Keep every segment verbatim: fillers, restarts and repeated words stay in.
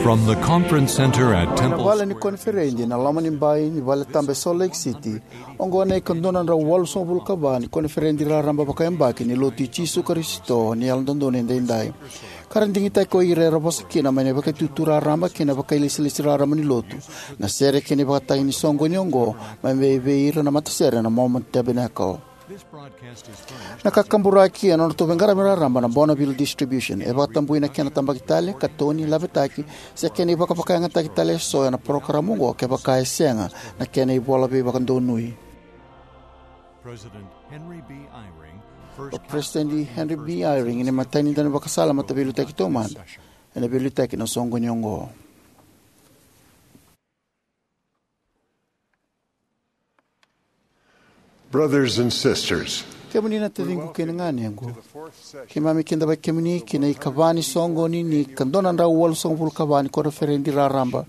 From the conference center at Temple Square, vale ni koniferedi na loma ni bai ni vale taba e Salt Lake City, oqo na ikadua na drau walusagavulu ka va ni koniferedi raraba vakayabaki ni Lotu i Jisu Karisito ni Yalododonu Edaidai. Ka ra digitaki ko ira era vosa kina mai na vakaitutu raraba kei na vakailesilesi raraba ni lotu na sere kei na ivakatagi ni soqoni oqo mai vei ira na matasere na Mormon Tabernacle. Na kakaburaki ena nodratou veiqaravi raraba na Bonneville Distribution e vakatabui na kena tabaki tale, katoni, lavetaki se kena ivakavakayagataki tale eso ena parokaramu oqo kevaka e sega na kena ivola veivakadonui. President Henry B. Eyring, first O President Henry B. Eyring, ni matai ni daunivakasala mataveiliutaki taumada, ena veiliutaki na soqoni oqo. Brothers and sisters, kemuni na taciqu kei na ganequ, keimami kidavaki kemuni ki na ikava ni soqoni ni ka dua na drau walusagavulu ka va ni koniferedi raraba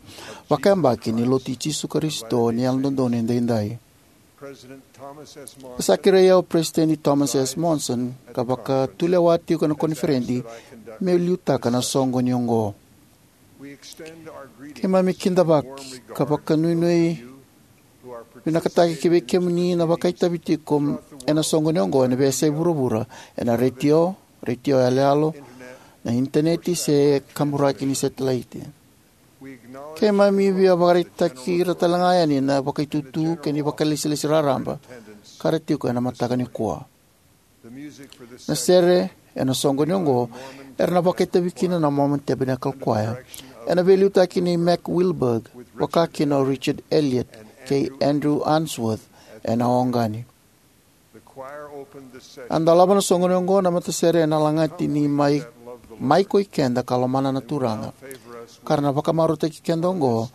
vakayabaki ni Lotu i Jisu Karisito ni Yalododonu Edaidai. President Thomas S. E sa Monson kerei au o President Thomas S. Monson ka vakatulewa tiko ena koniferedi meu liutaka na soqoni oqo. Keimami kidavaki ka vakanuinui vinakataki ki vei kemuni na vakaitavi tiko ena soqoni oqo ena veiyasai vuravura, ena retio, retio yaloyalo, na initaneti se kaburaki ni setelaiti. Keimami via vakaraitaki ira tale ga yani na vakaitutu kei na vakailesilesi raraba ka ra tiko ena mataka nikua. Na sere ena soqoni oqo era na vakaitavi kina na Mormon Tabernacle Choir, ena veiliutaki nei Mac Wilberg, vaka kina o Richard Elliott kei Andrew Unsworth ena oqani. A dolava na soqoni oqo na matasere ena lagati ni mai, mai koi keda ka lomana na Turaga, ka ra na vakamarautaki keda oqo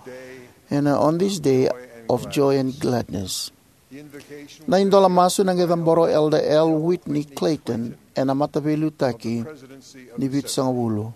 ena On This Day of Joy and Gladness. Na idola masu na qai cabora o Elder L. Whitney Clayton ena mataveiliutaki ni vitusagavulu.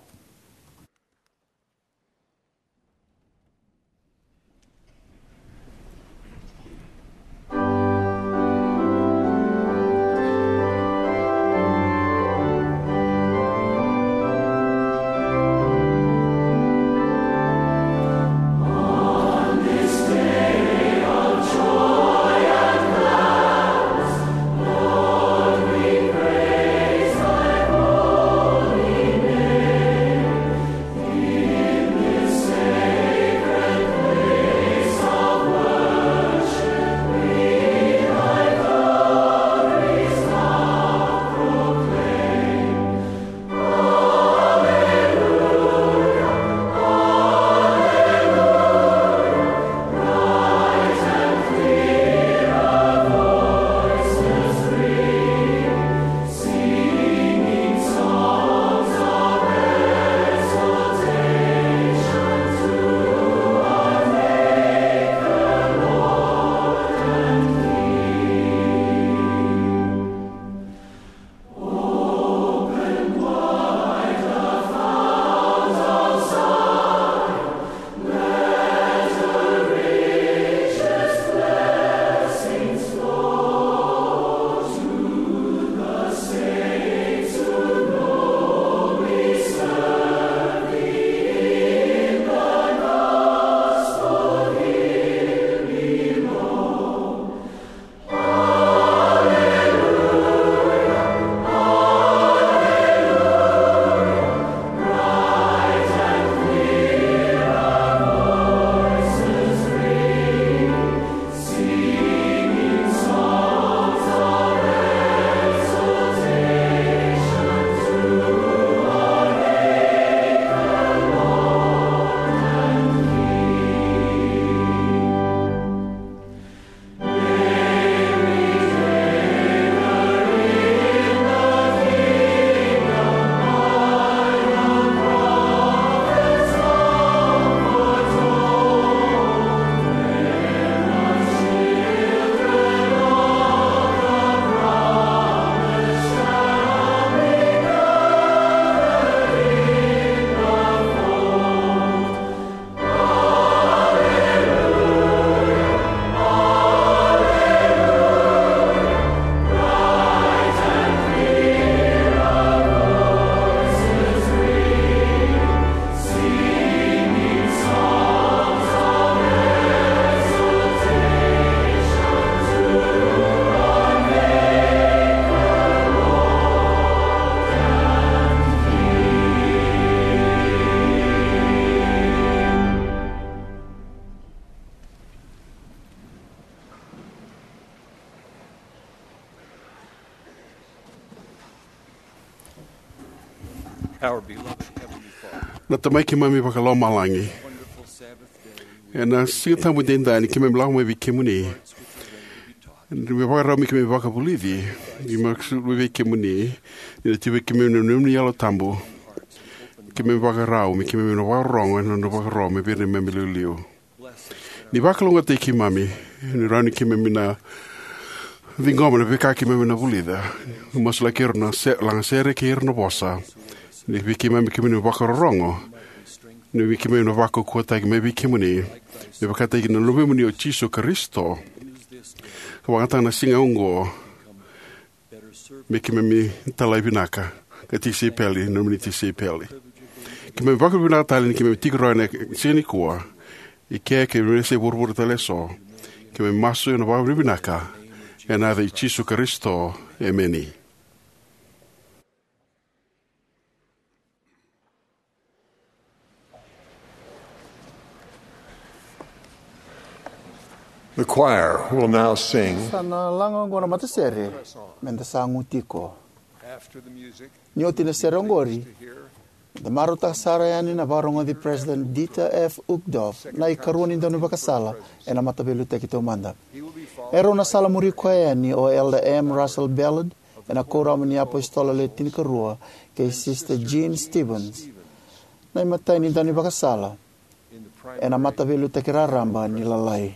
Our beloved Heavenly Father, na Tamai keimami vakalomalagi, ena Siga Tabu edaidai ni keimami lako mai vei kemuni, ni me vakarau me keimami vakavulici, ni me sulu vei kemuni, ni na tiko vei kemuni na nomuni Yalo Tabu. Keimami vakarau me keimami na vakarorogo ena nona vakarorogo mai vei ira na neimami iliuliu. Ni vakalougatataki keimami, ni rawa ni keimami na ciqoma na veika keimami na vulica, ni masulaki ira na se-, lagasere kei ira na vosa, ni vei keimami keimami na vakarorogo, ni vei keimami na vakaukauwataki mai vei kemuni, me vakataki na Luvemuni o Jisu Karisito. Vakayagataka na siga oqo me keimami talai vinaka ka tisaipeli, nomuni tisaipeli. Keimami vakavinavinaka tale ni keimami tiko rawa ena siga nikua. I ke keimami se vuravura tale eso. Keimami masu ena vakavinavinaka ena yaca i Jisu Karisito. Emeni. The choir will now sing. Sa na laga oqo na matasere, Meda Sagu Tiko. After the music, ni oti na sere oqori, da marautaka sara yani na vakarogoci President Dieter F. Uchtdorf, na ikarua ni daunivakasala ena Mataveiliutaki Taumada. E rau na sala muri koya yani o Elder M. Russell Ballard, ena Kuoramu ni iApositolo Le Tinikarua, kei Sister Jean Stephens, na imatai ni daunivakasala ena Mataveiliutaki Raraba ni Lalai.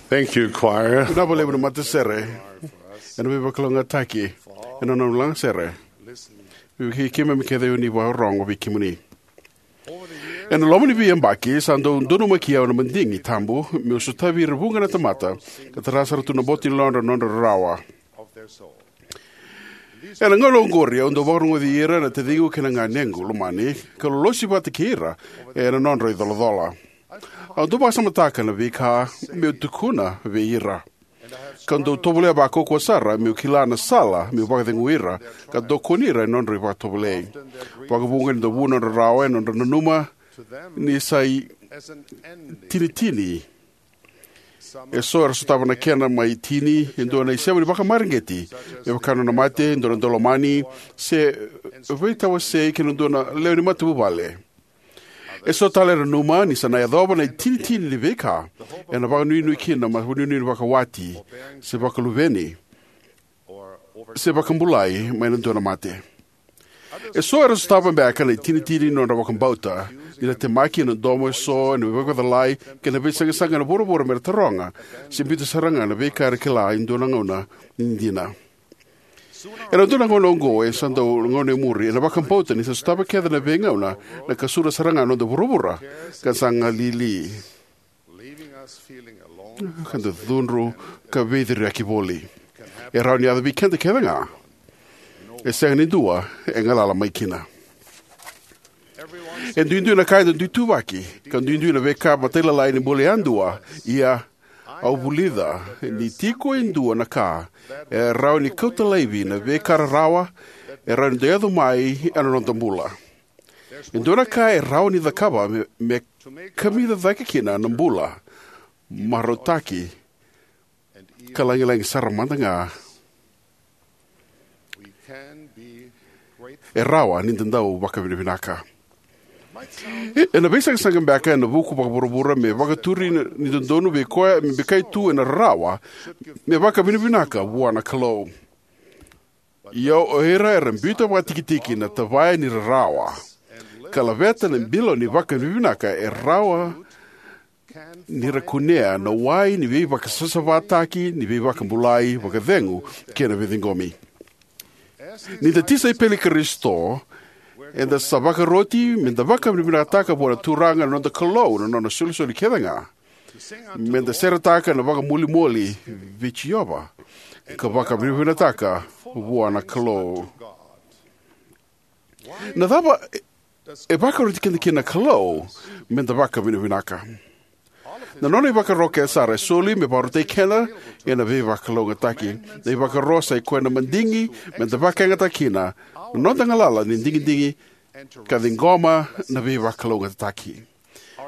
Thank you, choir. Vinaka vakalevu na matasere ena veivakalougatataki ena nona lagasere. Vei keimami kece ni vakarorogo vei kemuni. Ena loma ni veiyabaki sa dau donumaki au na madigi tabu meu sotavi ira vuqa na tamata ka tara sara tu na boto ni yalodra na nodra rarawa. Ena gauna oqori au dau vakarogoci ira na taciqu kei na ganequ lomani ka lolosi vata kei ira ena nodra icolacola. Au dau vakasamataka na veika meu tukuna vei ira, ka dau tovolea vakaukauwa sara meu kila na sala meu vakacegui ira ka tokoni ira ena nodra ivakatovolei. Vakavuqa ni dau vu na nodra rarawa ena nodra nanuma ni sa itinitini. Eso era sotava na kena mai tini e dua na isema ni vakamareqeti, me vaka na nona mate, dua na daulomani, se veitawasei kei na dua na lewe ni matavuvale. Eso tale era nanuma ni sa na yacova na itinitini ni veika ena vakanuinui kina na vakanuinui ni vakawati, se vakaluveni, se vakabulai mai na dua na mate. Eso era sotava beka na itinitini ni nodra vakabauta, ni ra temaki ena domo eso ena veivakacalai kei na veisaqasaqa ena vuravura me ra taroga se biuta sara ga na veika era kila e dua na gauna ni dina. Ena dua na gauna oqo, e sa dau gauna e muri, ena vakabauta ni sa sotava kece na veigauna na kasura sara ga na noda vuravura ka sa galili, ka da cudru ka veiciriyaki voli. E rawa ni yaco vei keda kece ga. E sega ni dua e galala mai kina. E duidui na ka eda dui tuvaki, ka duidui na veika matailalai ni bula yadua. Ia, au vulica ni tiko e dua na ka e rawa ni kauta laivi na veika rarawa e rawa ni dau yaco mai ena noda bula. E dua na ka e rawa ni cakava me, me kamica cake kina na bula marautaki ka lagilagi sara mada ga. E rawa ni da dau vakavinavinaka. E, ena veisaqasaqa beka ena vuku vakavuravura me vakaturi ni dodonu vei koya me bikai tu ena rarawa me vakavinavinaka vua na Kalou. Ia o ira era biuta vakatikitiki na tavaya ni rarawa ka laveta na bilo ni vakavinavinaka e rawa ni ra kunea na wai ni veivakasavasavataki, ni veivakabulai, vakacegu kei na veiciqomi. Ni da tisaipeli i Karisito, eda sa vakaroti me da vakavinavinakataka vua na Turaga na noda Kalou na nona isolisoli kece ga, me da seretaka na vakamolimoli vei Jiova ka vakavinavinakataka vua na Kalou. Na cava e vakaroti keda kina na Kalou me da vakavinavinaka? Na nona ivakaro kece sara e soli me vakarautaki keda ena veivakalougatataki. Na ivakaro sa i koya na madigi me da vakayagataka kina na noda galala ni digidigi ka ciqoma na veivakalougatataki.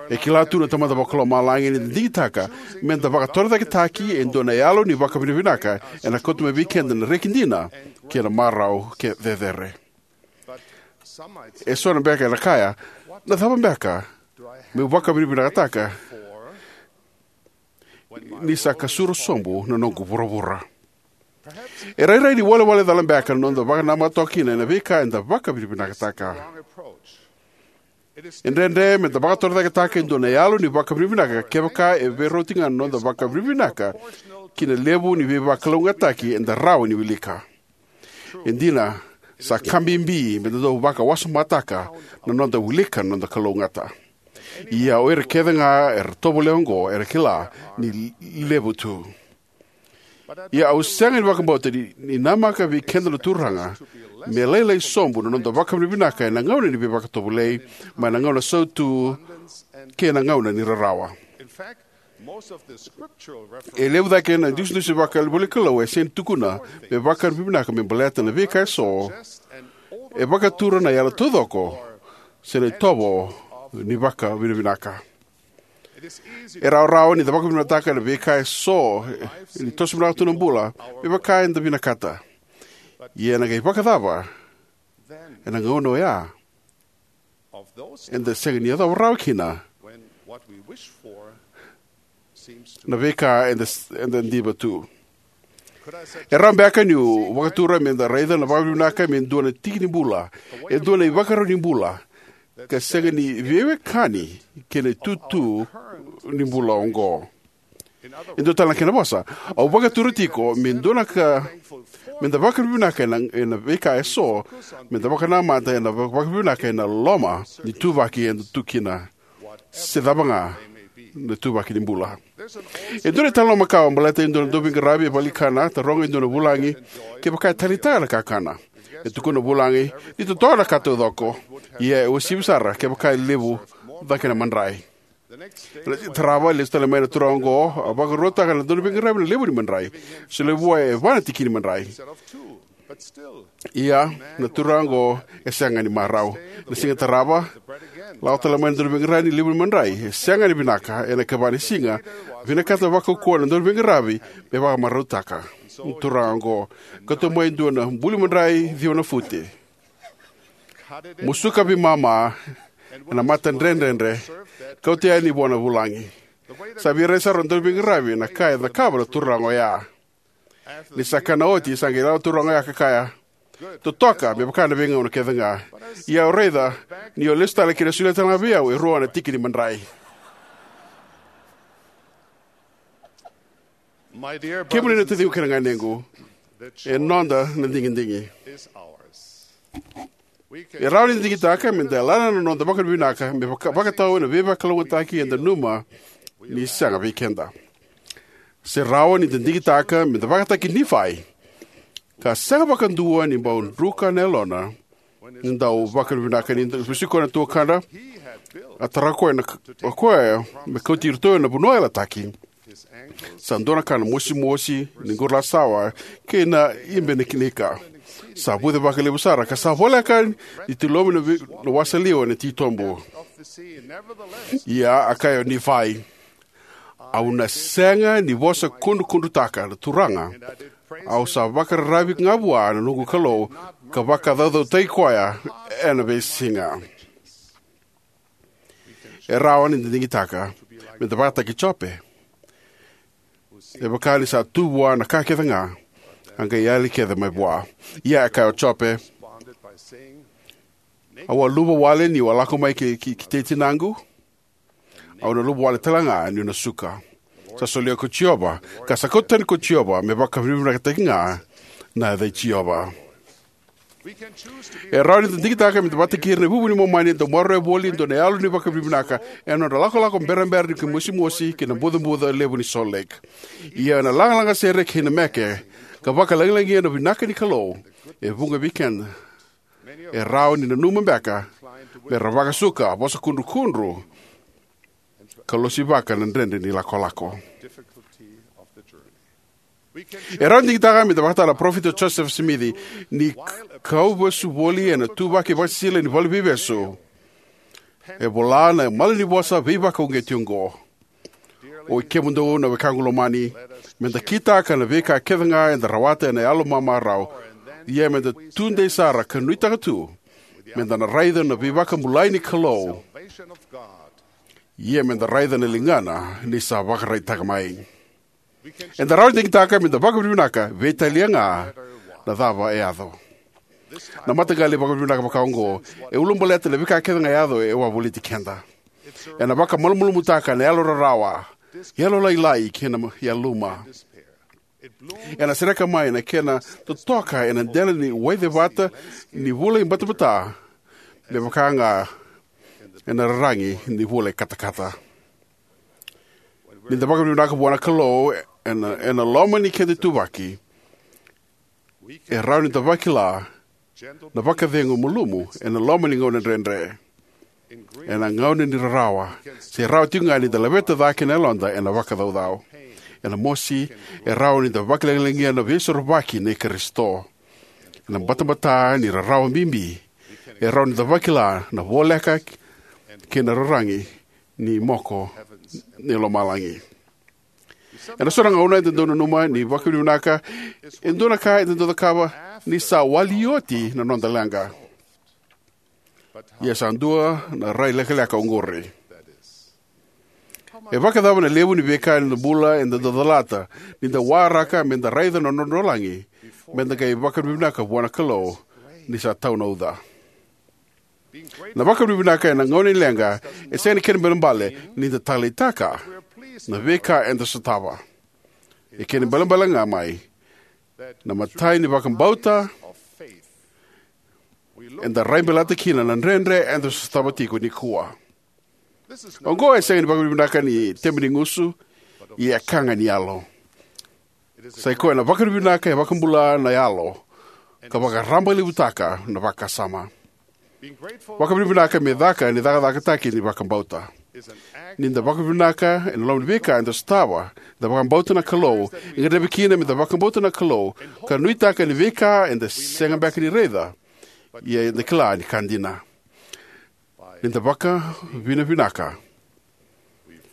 E kila tu na Tamada Vakalomalagi ni da digitaka me da vakatorocaketaki e dua na yalo ni vakavinavinaka, ena kauta mai vei keda na reki dina kei na marau ke cecere. E so na beka era kaya, na cava beka meu vakavinavinakataka ni sa kasura sobu na noqu vuravura? E rairai ni walewale cala beka na noda vakanamata toka kina ena veika eda vakavinavinakataka. E dredre me da vakatorocaketaka e dua na yalo ni vakavinavinaka kevaka e veirauti ga na noda vakavinavinaka ki na levu ni veivakalougatataki eda rawa ni wilika. E dina, sa ka bibi me da dau vakawasamataka na noda wilika na noda kalougata. Ia o ira kece ga era tovolea oqo era kila ni levu tu. Ia au sega ni vakabauta ni, ni namaka vei keda na Turaga me lailai sobu na noda vakavinavinaka ena gauna ni veivakatovolei, mai na gauna sautu kei na gauna ni rarawa. E levu cake na idusidusi vakaivolanikalou e sega ni tukuna me vakavinavinaka me baleta na veika eso e vakatura na yalo taucoko se na itovo ni vakavinavinaka. E rawarawa ni da vakavinavinakataka na veika eso ni toso vinaka tu na bula me vaka eda vinakata. Ia ena qai vakacava ena gauna oya eda sega ni yacova rawa kina na veika eda, eda diva tu? E rawa beka niu vakatura me da raica na vakavinavinaka me dua na tiki ni bula, e dua na ivakarau ni bula, ka sega ni veiwekani kei na itutu ni bula oqo. E dua tale na kena vosa, au vakatura tiko me dua na ka, me da vakavinavinaka ena, ena veika eso, me da vakanamata ena va-, vakavinavinaka ena loma ni ituvaki eda tu kina, se cava ga na ituvaki ni bula. E dua na italanoa makawa baleta e dua na dauveiqaravi e vakalikana, taroga e dua na vulagi kevaka e taleitaka na kakana. E tukuna na vulagi ni totoka na ka taucoko, ia e uasivi sara kevaka e levu cake na madrai. Ena siga tarava, e lesu tale mai na turaga oqo, a vakarautaka na dauveiqaravi na levu ni madrai. Solia vua e va na tiki ni madrai. Ia, na turaga oqo e sega ni marau. Na siga tarava, lako tale mai na dauveiqaravi na levu ni madrai. E sega ni vinaka, ena ikava ni siga, vinakata vakaukauwa na dauveiqaravi me vakamarautaka na turaga oqo. Kauta mai e dua na buli madrai ciwa na fute. Musuka veimama ena mata dredredre, kauta yani vua na vulagi. Sa veirai sara na dauveiqaravi na ka e cakava na turaga oya. Ni sa kana oti, sa qai lako na turaga oya ka kaya, "Totoka, me vaka na veigauna kece ga. Ia au raica ni o lesu tale ki na solia tale ga vei au e rua na tiki ni madrai." Kemuni na taciqu kei na ganequ, e noda na digidigi. E rawa ni da digitaka me da yalana na noda vakavinavinaka me vaka, vakatau ena veivakalougatataki eda nanuma ni sega vei keda. Se rawa ni da digitaka me da vakataki Nifai, ka sega vakadua ni bau druka na yalona ni dau vakavinavinaka. Ni da vesuki koya na tuakana, a tara koya na, o koya me kauti iratou ena vanua yalataki. Sa dua na ka na mosimosi ni qurulasawa kei na ibenikinika. Sa vuce vakalevu sara ka sa voleka ni tilomi na vi-, na wasa liwa ena titobu. Ia a kaya o Nifai, "Au na sega ni vosa kudrukudrutaka na Turaga. Au sa vakararavi ga vua na noqu Kalou ka vakacaucautaki koya ena veisiga." E rawa ni da digitaka me da vakataki Jope. E vaka ni sa tu vua na ka kece ga, a qai yali kece mai vua. Ia e kaya o Jope, "Au a luva wale niu a lako mai ki, ki, ki tei tinaqu. Au na luva wale tale ga niu na suka." Sa solia ko Jiova, ka sa kauta tani ko Jiova, me vakavinavinakataki ga na yaca i Jiova. E rawa ni da digitaka me da vakataki ira na ivuvu ni Momani e dau maroroya voli e dua na yalo ni vakavinavinaka ena nodra lakolako berabera ni mosimosi ki na bucabuca levu ni Salt Lake. Ia ena lagalaga sere kei na meke, ka vakalagilagia na vinaka ni Kalou, e vuqa vei keda e rawa ni nanuma beka me ra vakasuka, vosa kudrukudru, ka losivaka na dredre ni lakolako. E rawa ni digitaka me da vakatara na parofita o Joseph Smith ni k-, kauvesu voli ena ituvaki vakasisila ni valeniveivesu. E vola na malanivosa veivakauqeti oqo: "O i kemudou na wekaqu lomani, me da kitaka na veika kece ga eda rawata ena yalo mamarau, ia me da tudei sara ka nuitaka tu, me da na raica na veivakabulai ni Kalou, ia me da raica na ligana ni sa vakaraitaka mai." Eda rawa ni digitaka me da vakavinavinaka, veitalia ga na cava e yaco. Na mataqali vakavinavinaka vaka oqo e ulabaleta na veika kece ga e yaco e wavoliti keda. Ena vakamalumalumutaka na yalo rarawa, yalolailai kei na yaluma. Ena sereka mai na kena totoka ena dela ni waicevata ni vula i batabata, me vaka ga ena raragi ni vula i katakata. Ni da vakavinavinaka vua na Kalou ena, ena loma ni keda ituvaki, e rawa ni da vakila na vakacegu malumu ena loma ni gauna dredre. Ena gauna ni rarawa, se rawa tiko ga ni da laveta cake na yaloda ena vakacaucau. Ena mosi, e rawa ni da vakalagilagia na veisorovaki nei Karisito. Ena batabata ni rarawa bibi, e rawa ni da vakila na voleka kei na raragi ni moko ni lomalagi. Ena so na gauna eda dau nanuma ni vakavinavinaka e dua na ka eda dau cakava ni sa wali oti na noda leqa. Ia sa dua na rai lekaleka oqori. E vakacava na levu ni veika eda bula eda dau calata ni da waraka me da raica na nodra lagi, me da qai vakavinavinaka vua na Kalou ni sa tau na uca. Na vakavinavinaka ena gauna ni leqa e sega ni kena balebale ni da taleitaka. na veika eda sotava. E kena ibalebale ga mai na matai ni vakabauta, eda raibaleta kina na dredre eda sotava tiko nikua. Oqo e sega ni vakavinavinaka ni tebe ni gusu, ia e ka ga ni yalo. Sai koya na vakavinavinaka e vakabula na yalo ka vakarabailevutaka na vakasama. Vakavinavinaka me caka ni cakacakataki ni vakabauta. Ni da vakavinavinaka ena loma ni veika eda sotava, da vakabauta na Kalou, e gadrevi kina me da vakabauta na Kalou ka nuitaka ni veika eda sega beka ni raica, ia eda kila ni ka dina. Ni da vakavinavinaka,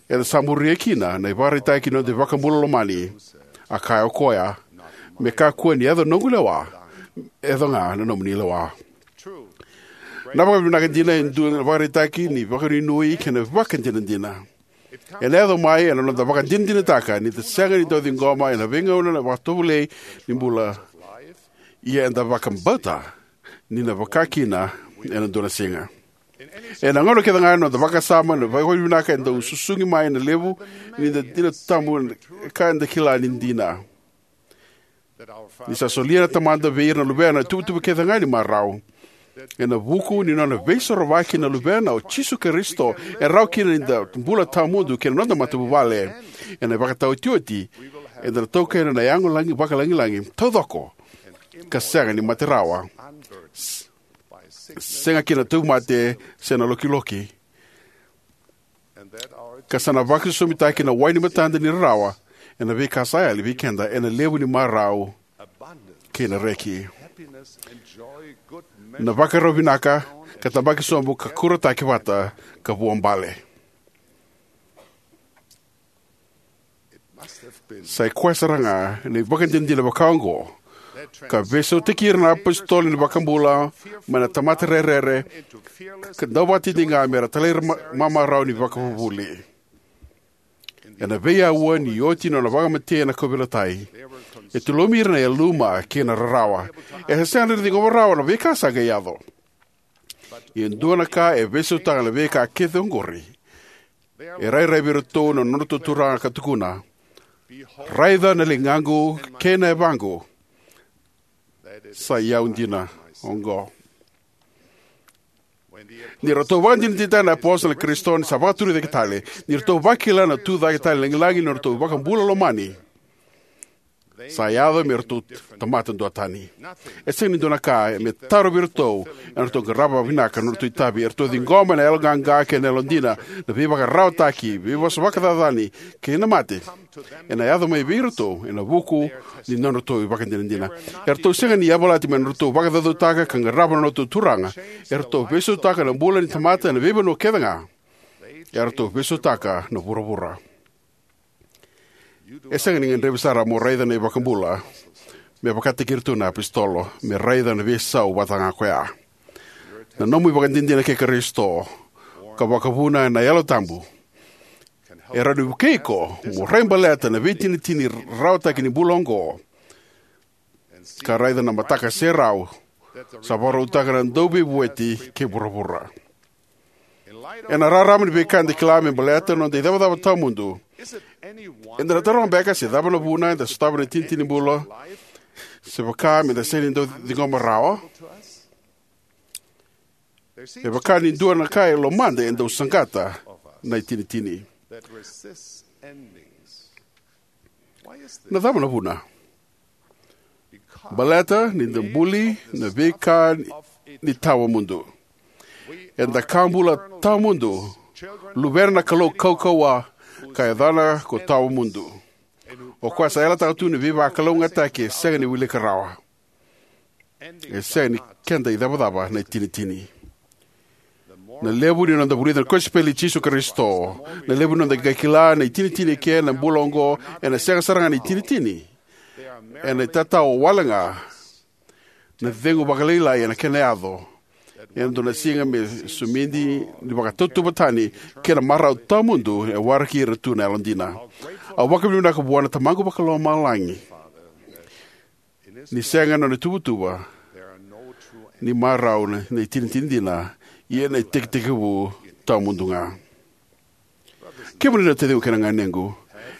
eda sa muria kina na ivakaraitaki ni noda iVakabula lomani. A kaya o koya, me kakua ni yaco na noqu lewa, yaco ga na nomuni lewa. Na vakavinavinaka dina e dua na ivakaraitaki ni vakanuinui kei na vakadinadina. Ena yaco mai ena noda vakadinadinataka ni da sega ni dau ciqoma ena veigauna na vakatovolei ni bula, ia eda vakabauta ni na vaka kina ena dua na siga. Ena gauna kece ga na noda vakasama, na vakavinavinaka e dau susugi mai na levu ni da dina tabu, ka eda kila ni dina. Ni sa solia na Tamada vei ira na luvena na ituvatuva kece ga ni marau. Ena vuku ni nona veisorovaki na Luvena o Jisu Karisito, e rawa kina ni da bula tawamudu kei na noda matavuvale. Ena ivakataotioti, eda na taukena na yago lagi vakalagilagi taucoko ka sega ni mate rawa. S-, sega kina na tauvimate se na lokiloki. Ka sa na vakaisosomitaki na wai ni matada ni rarawa ena veika sa yali vei keda ena levu ni marau kei na reki. Na vakarau vinaka ka tabaki sobu ka kurataki vata ka vuabale. Sa i koya sara ga na ivakadinadina vaka oqo ka veisautaki ira na apositolo ni vakabula mai na tamata rerere ka dauvakatitiqa me ra talairawarawa ni vakavuvuli. Ena veiyaua ni oti na nona vakamatei ena kauveilatai, e tulomi ira na yaluma kei na rarawa. E sega ni ra ciqoma rawa na veika sa qai yaco. Ia e dua na ka e veisautaka na veika kece oqori. E rairai vei iratou na nodratou Turaga ka tukuna, "Raica na ligaqu kei na yavaqu, sa i au dina oqo." Ni ratou vakadinadinataka na apositolo na Karisito ni sa vakaturi cake tale, ni ratou vakila na tucake tale ni lagilagi ni nodratou iVakabula lomani, sa yaco me ratou tamata duatani. E sega ni dua na ka me tarovi iratou ena nodratou qarava vinaka na nodratou itavi. Eratou ciqoma ena yaloqaqa kei na yalodina na veivakararawataki, veivosavosa vakacacani, kei na mate ena yaco mai vei iratou ena vuku ni nodratou ivakadinadina. Eratou sega ni yavalati mai na nodratou vakacaucautaka ka qarava na nodratou Turaga. Eratou veisautaka na bula ni tamata ena veivanua kece ga. Eratou veisautaka na vuravura. E sega ni gadrevi sara mo raica na iVakabula me vakataki iratou na apositolo, me raica na veisau vata ga koya. Na nomu ivakadinadina kei Karisito ka vakavuna ena Yalo Tabu e rawa ni vukei iko mo raibaleta na veitinitini rarawataki ni bula oqo ka raica na mataka serau sa vakarautaka na Dauveivueti kei vuravura. Ena rarama ni veika eda kila me baleta na noda icavacava tawamudu, eda na taroga beka se cava na vuna eda sotava na itinitini ni bula, se vaka meda sega ni dau ciqoma rawa? E vaka ni dua na ka e lomada e dau saqata na itinitini. Na cava na vuna? Baleta ni da buli na veika ni tawamudu. Eda ka bula tawamudu, luvena na Kalou kaukauwa, ka yacana ko Tawamudu, o koya sa yalataka tu na veivakalougatataki e sega ni wilika rawa. E sega ni keda icavacava na itinitini. Na levu ni noda vulica na kosipeli i Jisu Karisito, na levu ni noda qai kila na itinitini eke na bula oqo, ena sega sara ga na itinitini. Ena itatau wale ga na cegu vakalailai ena kena yaco ena dua na siga me sumidi ni vakatauvatani kei na marau tawamudu e waraki ira tu na yalodina. Au vakavinavinaka vua na Tamaqu Vakalomalagi ni sega na nona ituvatuva ni marau na, na itinitini dina, ia na itekitekivu tawamudu ga. Kemuni na taciqu kei na ganequ,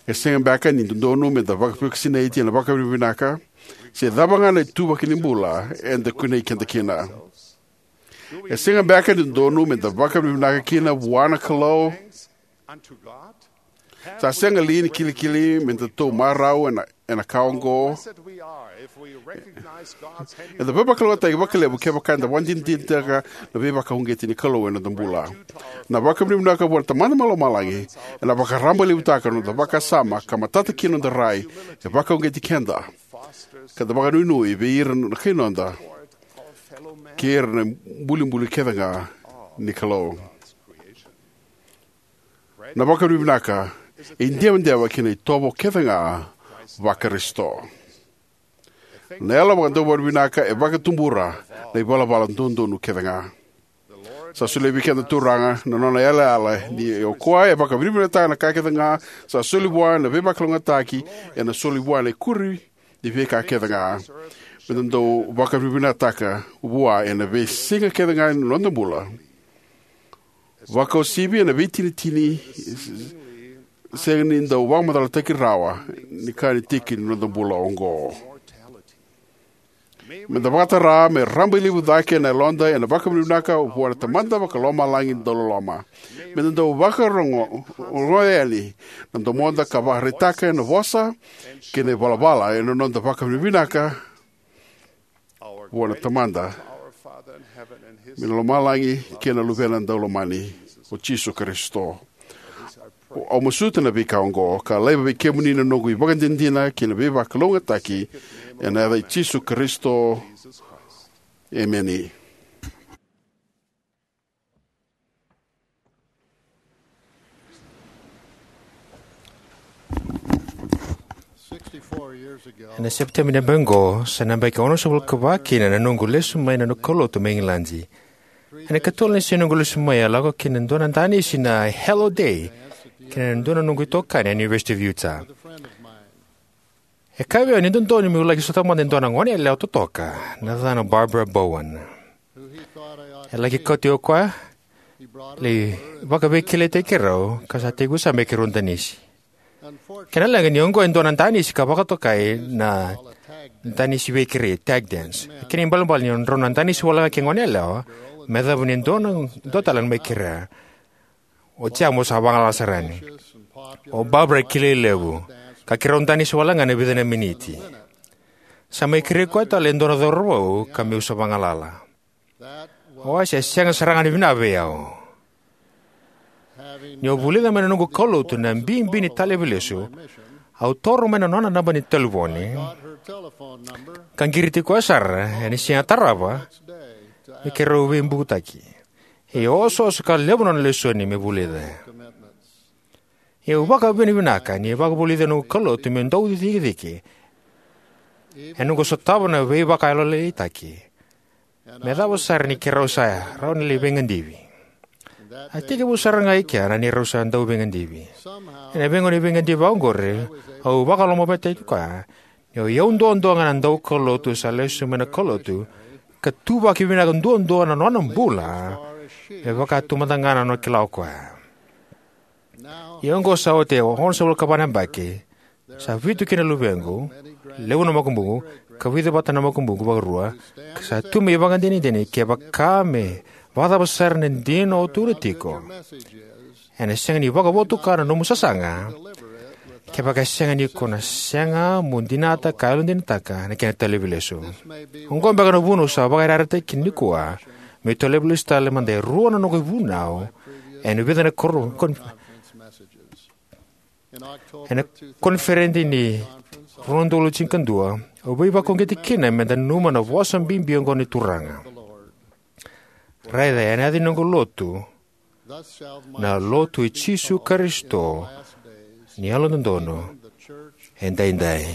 e sega beka ni dodonu me da vakavakasinaiti ena vakavinavinaka, se cava ga na ituvaki ni bula eda kunei keda kina? E sega beka ni dodonu me da vakavinavinaka kina vua na Kalou? Sa sega li ni kilikili me datou marau ena, ena ka oqo? Eda veivakalougatataki vakalevu kevaka eda vakadinadinataka na veivakauqeti ni Kalou ena noda bula. Na vakavinavinaka vua na Tamada mai Lomalagi ena vakarabailevutaka na noda vakasama ka matata kina noda rai, e vakauqeti keda, ka da vakanuinui vei ira na kai noda kei ira na ibulibuli kece ga ni Kalou. Na vakavinavinaka e idewadewa ki na itovo kece ga vaKarisito. Na yalo vakadavinavinaka e vakatubura na ivalavala dodonu kece ga. Sa solia vei keda na Turaga na nona yalayala, ni o koya e vakavinavinakataka na ka kece ga sa soli vua, na veivakalougatataki ena soli vua, na ikuri ni veika kece ga. Me da dau vakavinavinakataka vua ena veisiga kece ga ni noda bula, vakauasivi ena veitinitini sega ni dau vakamacalataki rawa ni ka ni tiki ni noda bula oqo. Me da vakatara me rabailevu cake na yaloda ena vakavinavinaka vua na Tamada Vakalomalagi dauloloma. Me da dau vakarogoya yani na domoda ka vakaraitaka ena vosa kei na ivalavala ena noda vakavinavinaka vua na Tamada mai Lomalagi kei na Luvena Daulomani, o Jisu Karisito. Au masuta na veika oqo ka laiva vei kemuni na noqu ivakadinadina kei na veivakalougatataki ena yaca i Jisu Karisito. Emeni. Ena Sepiteba ni yabaki oqo, sa na yabaki onosagavulu ka va kina na noqu lesu mai na noqu kaulotu mai Igiladi. Ena ikatolu ni siga ni noqu lesu mai, au lako ki na dua na danisi na Hello Day kei na dua na noqu itokani ena University of Utah. E kaya vei au ni dodonu meu laki sota mada e dua na goneyalewa totoka, na yacana Barbara Bowen. E laki kauti au o koya, lai vakaveikilaitaki keirau, ka sa tekivu sara me keirau danisi. Kena leqa ni oqo e dua na danisi ka vakatokai na danisi veikerei, tag dance. Kena ibalebale ni o drau na danisi wale ga ke goneyalewa, me yacova ni dua na, dua tale na mai kerea. Oti ya mo sa vagalala sara yani. O Barbara e kilai levu, ka keirau danisi wale ga ena vica na miniti. Sa mai kerei koya tale e dua na cauravou ka meu sa vagalala. Oya sa sega sara ga ni vinaka vei au. Niu vulica mai na noqu kaulotu na bibi ni talevi lesu, au taura mai na nona naba ni talevoni ka qiriti koya sara ena siga tarava me keirau veibucutaki. E osooso ka levu na nona lesoni me vulica. Au vakavinavinaka ni vakavulici au na noqu kaulotu meu dau cikecike ena noqu sotava na veivakayalolailaitaki, me yacova sara ni keirau sa rawa ni lai veigadivi. A tekivu sara ga i kea na neirau sa dau veigadivi. Ena veigauna ni veigadivi vakaoqori, au vakalomavetaitaki koya ni o au duadua ga na daukaulotu sa lesu mai na kaulotu ka tuvaki vinaka duadua na nona bula, me vaka tu mada ga na nona kila o koya. Ia oqo sa oti e onosagavulu ka va na yabaki, sa vitu kina na luvequ, levu na makubuqu, ka vica vata na makubuqu vakarua, ka sa tu me ivakadinadina kevaka me vakacava sara na dina o tukuna tiko, ena sega ni vakavotuka na nomu sasaga kevaka e sega ni ko na sega mo dinata ka yalodinataka na kena talevi lesu. Oqo beka na vuna au sa vakayarayarataki kina nikua meu talevi lesu tale mada e rua na noqu ivunau ena vica na koro-, kon-, ena koniferedi ni rua na udolu tinikadua, au veivakauqeti kina meda nanuma na vosa bibi oqo ni Turaga: Raica ena yaca ni noqu lotu, na lotu i Jisu Karisito ni Yalododonu Edaidai.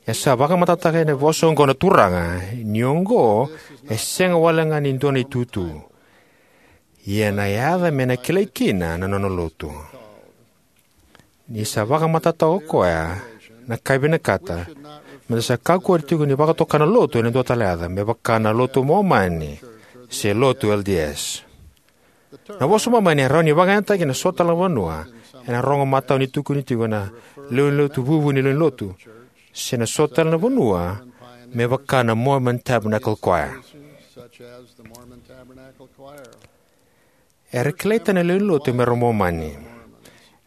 E sa vakamatatataka ena vosa oqo na Turaga ni oqo e sega wale ga ni dua na itutu, ia na yaca me na kilai kina na nona lotu. Ni sa vakamatatataka o koya, na ka e vinakata meda sa kakua tiko ni vakatoka na lotu ena dua tale na yaca, me vaka na lotu Momani se lotu L D S. Na vosa Momani e rawa ni vakayagataki ena so tale na vanua ena rogo matau ni tukuni tiko na lewenilotu vuvu ni lewenilotu, se na so tale na vanua me vaka na Mormon Tabernacle Choir. Era kilai tani na lewenilotu me ra Momani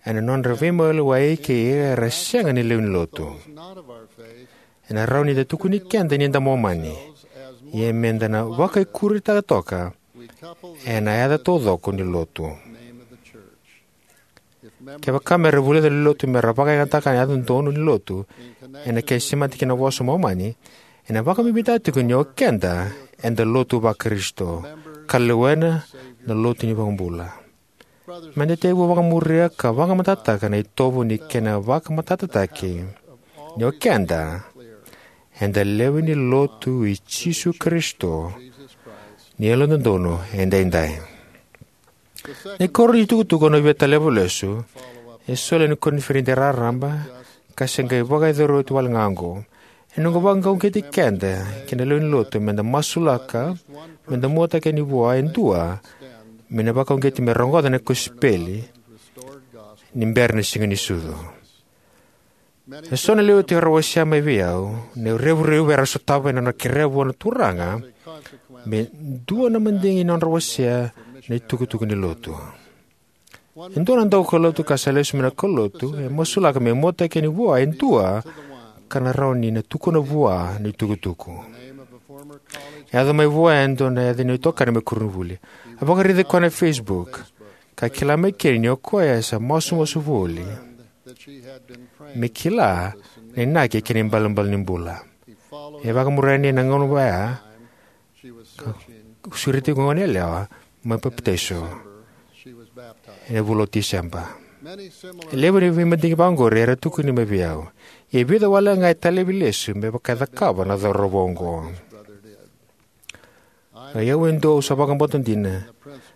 ena nodra veimaliwai kei ira era sega ni lewenilotu. Ena rawa ni da tukuni keda ni da Momani, ia meda na vakaikuritaka toka ena yaca taucoko ni Lotu. Kevaka me ra vulica na lewenilotu me ra vakayagataka na yaca dodonu ni Lotu ena kena semati kei na vosa Momani, ena vakabibitaka tiko ni o keda eda lotu va-Karisito ka lewena na Lotu ni iVakabula. Meda tekivu vakamuria ka vakamatatataka na itovo ni kena vakamatatataki ni o keda eda lewe ni Lotu i Jisu Karisito ni Yalododonu Edaidai. Na ikarua ni itukutuku au na via taleva lesu e soli ena koniferedi raraba ka se qai vakayacori oti wale ga oqo. Ena noqu vakauqeti keda kei na lewe ni Lotu meda masulaka meda muataki yani vua e dua me na vakauqeti me rogoca na kosipeli ni bera na Siganisucu. Eso na lewe tiko era wasea mai vei au na revurevu era sotava ena nodra kerea vua na Turaga me dua na madigi ni nodra wasea na itukutuku ni Lotu. E dua na daukaulotu ka sa lesu mai na kaulotu e masulaka me muataki yani vua e dua ka na rawa ni na tukuna vua na itukutuku. E yaco mai vua e dua na yaca ni itokani mai koronivuli. A vakaraici koya ena Facebook ka kila mai kina ni o koya e sa masumasu voli me kila na inaki kei na ibalebale ni bula. E vakamuria yani ena gauna vaya ka sureti goneyalewa me papitaiso ena vula o Tiseba. E levu na veimadigi vakaoqori era tukuni mai vei au, ia e vica wale ga e talevi lesu me vaka e cakava na cauravou oqo. O au e dua au sa vakabauta dina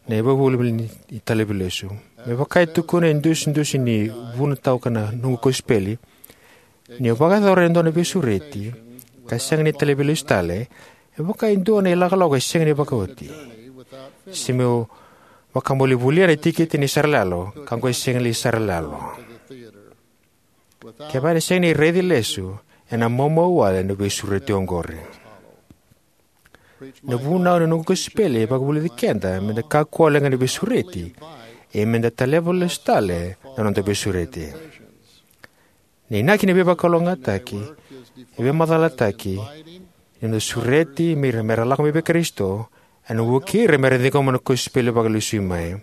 na ivakavuvuli ni talevi lesu. Me vaka e tukuna e dusidusi ni vunatauka na noqu kosipeli, niu vakayacora e dua na veisureti ka sega ni talevi lesu tale, e vaka e dua na ilakolako e sega ni vakaoti, se meu vakamoli volia na tikiti ni saralalo ka qai sega ni saralalo. Kevaka e sega ni raici lesu, ena maumau wale na veisureti oqori. Na vunau ni noqu kosipeli e vakavulici keda meda kakua wale ga ni veisureti, ia meda taleva lesu tale na noda veisureti. Na inaki ni veivakalougatataki e veimacalataki ni noda sureti me ira me ra lako mai vei Karisito, ena vukei ira me ra ciqoma na kosipeli vakalesui mai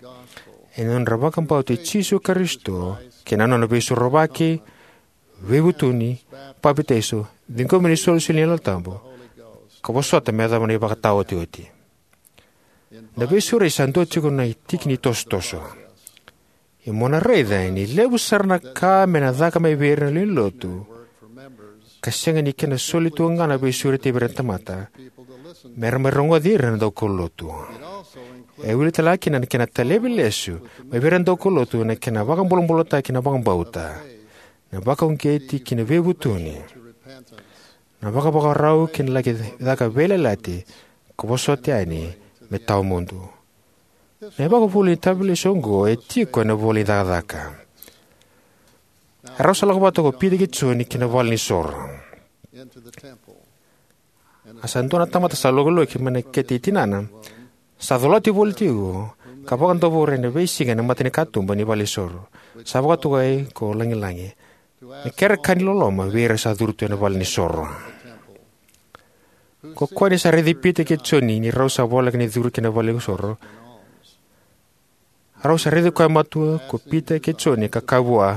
ena nodra vakabauti Jisu Karisito kei na nona veisorovaki, veivutuni, papitaiso, ciqomi ni isolisoli ni Yalo Tabu, ka vosota me yacova na ivakataotioti. Na veisureti sa dua tiko na tiki ni tosotoso. Ia mo na raica ni levu sara na ka me na caka mai vei ira na lewe ni Lotu ka sega ni kena soli tu ga na veisureti vei ira na tamata me ra mai rogoci ira na daukaulotu. E wili tale ga kina na kena talevi lesu mai vei ira na daukaulotu na kena vakabulabulataki na vakabauta, na vakauqeti ki na veivutuni, na vakavakarau ki na laki caka veiyalayalati ka vosota yani me tawamudu. Na ivakavuvuli ni talevi lesu oqo e tiko ena ivola ni Cakacaka. A rau sa lako vata ko Pita kei Joni ki na valenisoro. A sa dua na tamata sa lokiloki mai na kete i tinana sa colati voli tiko ka vakadavora ena veisiga ena matanikatuba ni valenisoro, sa vakatokai ko Lagilagi, me kere ka ni loloma vei ira sa curu tu ena valenisoro. Ko koya ni sa raici Pita kei Joni ni rau sa voleka ni curu ki na valenisoro, a rau sa raici koya matua ko Pita kei Joni ka kaya vua,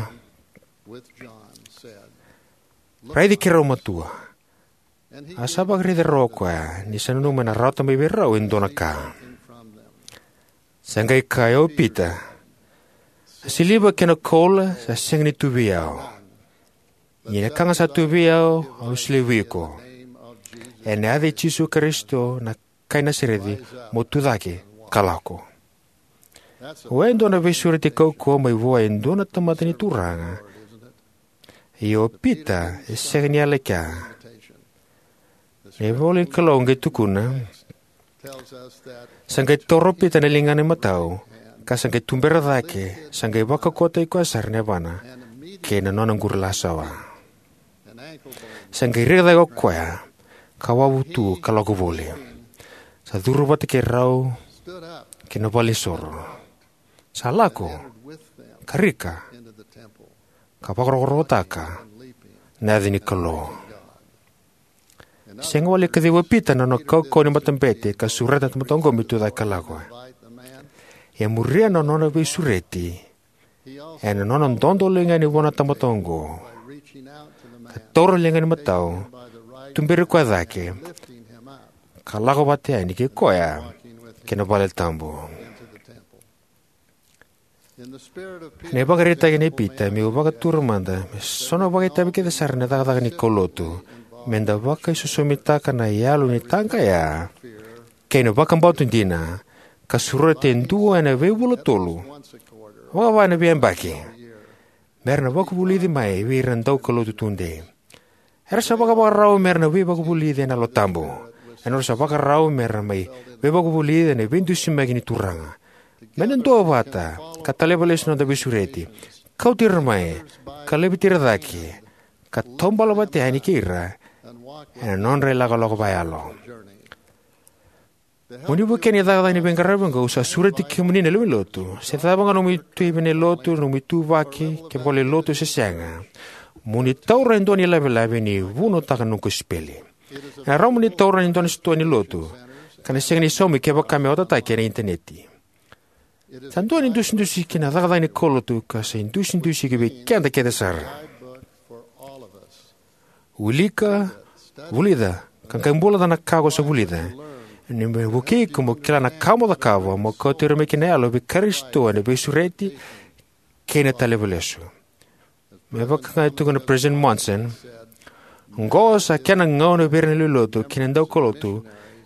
"Raici keirau matua." A sa vakaraici rau o koya ni sa nanuma ena rawata mai vei rau e dua na ka. Sa qai kaya, "O Pita, a siliva kei na koula sa sega ni tu vei au. Ia na ka ga sa tu vei au, au solia vei iko. Ena yaca i Jisu Karisito na kai Nasareci, mo tu cake ka lako." Oya e dua na veisureti kaukauwa mai vua e dua na tamata ni Turaga. Ia o Pita e sega ni yala i kea. Na ivola ni Kalou qai tukuna, sa qai toro o Pita na ligana imatau ka sa qai tubera cake, sa qai vakaukauwataki koya sara na yavana kei na nona qurilasawa. Sa qai reki cake o koya, ka wavu tu ka lako voli. Sa curu vata kei rau ki na valenisoro. Sa lako, ka rika, ka vakarokorokotaka na yaca ni Kalou. Sega wale ni kaciva o Pita na nona kaukauwa ni matabete ka sureta na tamata oqo me tucake ka lako. E muria na nona veisureti ena nona dodoliga yani vua na tamata oqo, ka taura na ligana imatau, tuberi koya cake, ka lako vata yani kei koya ki na valetabu. Ena ivakaraitaki nei Pita, meu vakatura mada me so na vakaitavi kece sara ena cakacaka ni kaulotu, meda vakaisosomitaka na yalo ni taqaya kei na vakabauta dina, ka sureta e dua ena veivula tolu, vakava ena veiyabaki, mera na vakavulici mai vei ira na daukaulotu tudei. Era sa vakavakarau mera na veivakavulici ena Yalo Tabu. Era sa vakarau mera mai veivakavulici ena veidusimaki ni Turaga. Meda duavata ka taleva lesu na noda veisureti, kauti ira mai, ka laveti ira cake, ka taubale vata yani kei ira ena nodra ilakolako vakayalo. Mo ni vukea na cakacaka ni veiqaravi oqo, au sa sureti kemuni na lewe ni lotu, se cava ga na nomuni ituvaki ni lotu, nomuni ituvaki, ke vale ni lotu se sega, mo ni taura e dua na ilavelave ni vunautaka na noqu kosipeli. Ena rawa mo ni taura ena dua na sitoa ni lotu, ka na sega ni saumi kevaka me otataki ena initaneti. Sa dua na idusidusi ki na cakacaka ni kaulotu ka sa idusidusi ki vei keda kece sara. Wilika, vulica, ka qai bula ca na ka ko sa vulica. Ni me vukei iko mo kila na ka mo cakava mo kauti ira mai kina na yalo vei Karisito ena veisureti kei na taleva lesu. Me vaka ga e tukuna o President Monson, oqo sa kena gauna vei ira na lewe ni lotu kei na daukaulotu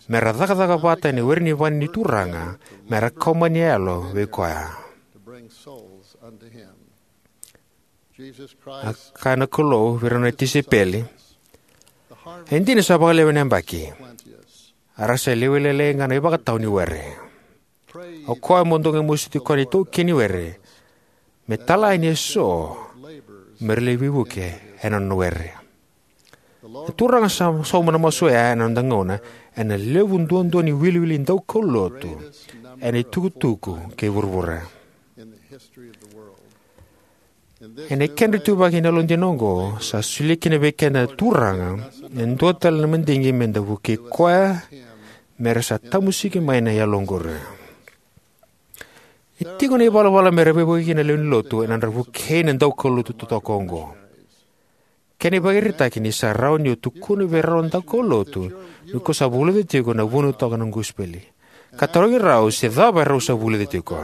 mera cakacaka vata ena were ni vale ni Turaga, mera kau mai na yalo vei koya. A kaya na Kalou vei rau na tisaipeli, e dina sa vakalewe na yabaki, a ra sa lewe lailai ga na ivakatawa ni were. O koya mo dou qai masuti koya na itaukei ni were, me tala yani eso mera lai veivuke ena nona were. Na Turaga sa sauma na masu oya ena noda gauna, ena levu duadua ni wiliwili daukaulotu ena itukutuku kei vuravura. Ena kedra ituvaki ena yalodina oqo, sa solia kina vei keda na Turaga e dua tale na madigi meda vukei koya, mera sa tamusiki mai na yalo oqori. E tiko na ivalavala mera veivuke kina na lewe ni lotu ena nodra vukei na daukaulotu totoka oqo. Kena ivakaraitaki ni sa rawa ni o tukuna vei rau na daukaulotu ni ko sa vulica tiko na vunautaka na kosipeli, ka tarogi rau se cava erau sa vulica tiko.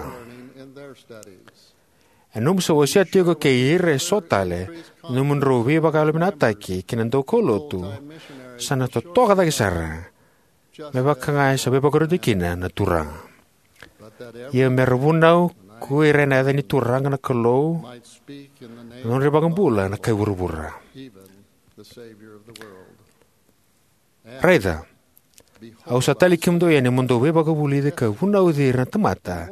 E nomu sa wasea tiko kei ira eso tale na nomudrau veivakayalovinakataki kei na daukaulotu, sa na totoka cake sara, me vaka ga e sa veivakarautaki kina na Turaga. Ia mera vunau ko ira ena yaca ni Turaga na Kalou, na nodra iVakabula na kai vuravura. Raica, au sa talai kemudou yani mo dou veivakavulici ka vunauci ira na tamata,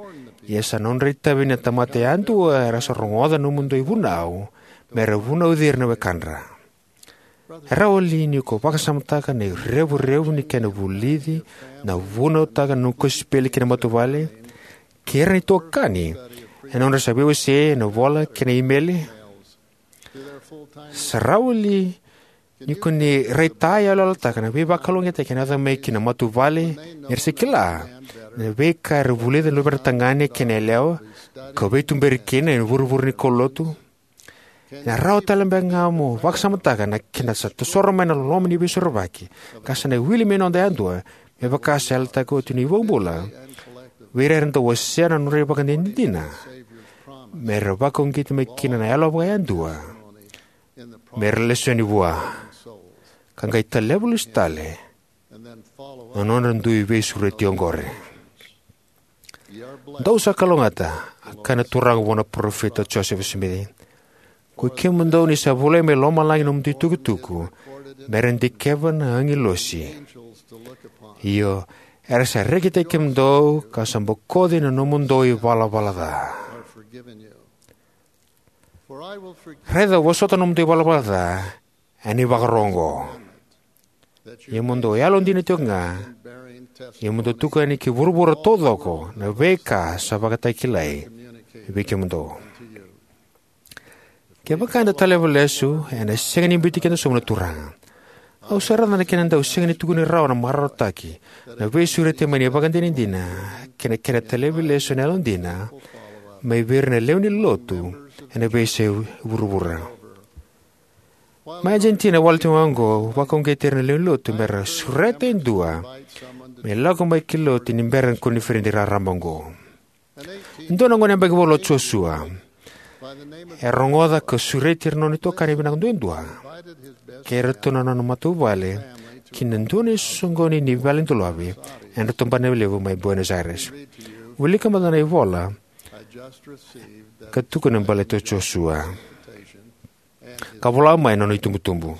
ia sa nodra itavi na tamata yadua era sa rogoca na nomudou ivunau, mera vunauci ira na wekadra. E rawa li ni ko vakasamataka na irevurevu ni kena vulici na vunautaka na noqu kosipeli ki na matavuvale, kei ira na itokani ena nodra sa veiwasei ena vola kei na imeli? Sa rawa li ni ko ni raitayaloyalotaka na veivakalougatataki ena yaco mai ki na matavuvale, ni ra sa kila na veika era vulica na luvedra tagane kei na yalewa, ka veituberi kina ena vuravura ni kaulotu? Ena rawa tale beka ga mo vakasamataka na kena sa tosoro mai na loloma ni veisorovaki, ka sa na wili me noda yadua, me vaka sa yalataka oti na iVakabula vei ira era dau wasea na nodra ivakadinadina, mera vakauqeti mai kina na yalo vakayadua mera lesu yani vua, ka qai taleva lesu tale na nodra dui veisureti oqori. Dou sa kalougata, a kaya na Turaga vua na parofita o Josefa Simici. Ko i kemudou ni sa volai mai lomalagi na nomudou itukutuku, mera dikeva na agilosi. Io, era sa rekitaki kemudou ka sa bokoci na nomudou ivalavala ca. Raica, au vosota na nomudou ivalavala ca, ena ivakaro oqo, ia mo dou yalodina tiko ga, ia mo dou tukuna ki vuravura taucoko na veika sa vakatakilai vei kemudou. Kevaka eda taleva lesu, ena sega ni biuti keda sobu na Turaga. Au sa raica na kena dau sega ni tukuni rawa na marautaki, na veisureti mai ni ivakadinadina, kei na kena taleva lesu na yalodina mai vei ira na lewe ni Lotu ena veiyasai vuravura. Mai Argentina wale tiko ga oqo, au vakauqeti ira na lewe ni Lotu me ra sureta e dua me lako mai ki lotu ni bera na koniferedi raraba oqo. E dua na gone yabaki walu o Josua. E rogoca ka sureti ira na nona itokani vinaka duadua kei iratou na nona matavuvale ki na dua na isoqoni ni vale ni dolovi ena tabana levu mai Buenos Aires. Wilika mada na ivola ka tukuna baleti Josua, ka vola mai na nona itubutubu.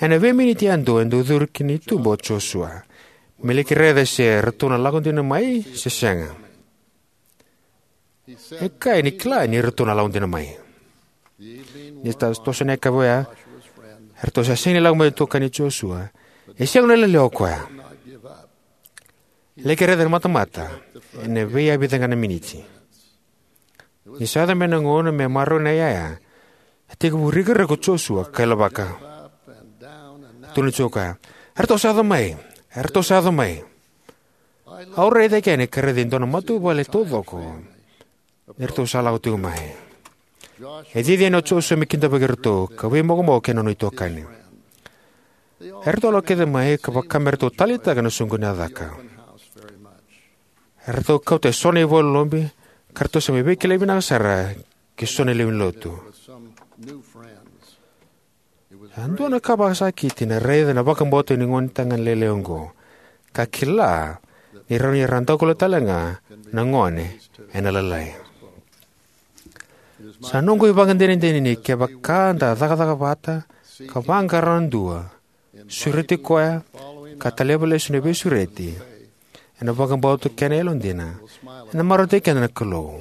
Ena veiminiti yadua e dau curu ki na itubu o Josua me laki raica se ratou na lako dina mai se sega. E kaya ni kila ni ratou na lako dina mai. Ni sa toso na yakavi oya, eratou sa sega ni lako mai na itokani Josua. E sega ni lailai o koya. E laki raica na matamata ena veiya vica ga na miniti. Ni sa yaco mai na gauna me maroroi na iyaya, a tekivu rikarika o Josua ka ilavaka. Tukuna tiko o koya, eratou sa yaco mai, eratou sa yaco mai. Au rai cake yani ka raica e dua na matavuvale taucoko ni ratou sa lako tiko mai. E cici yani o Josua me kidavaki iratou ka veimokomoko kei na nona itokani. Eratou lako kece mai ka vaka me ratou taleitaka na soqoni a caka. Eratou kauta eso na ivola lobi ka ratou sa mai veikilai vinaka sara kei so na lewe ni lotu. A dua na ka vakasakiti na raica na vakabauta ni gonetagane lailai oqo ka kila ni rawa ni ra daukaulotu tale ga na gone ena lalai. Sa noqu ivakadinadina ni kevaka da cakacaka vata ka vaqara na dua, sureti koya, ka taleva lesu na veisureti ena vakabauta kei na yalodina, ena marautaki keda na Kalou.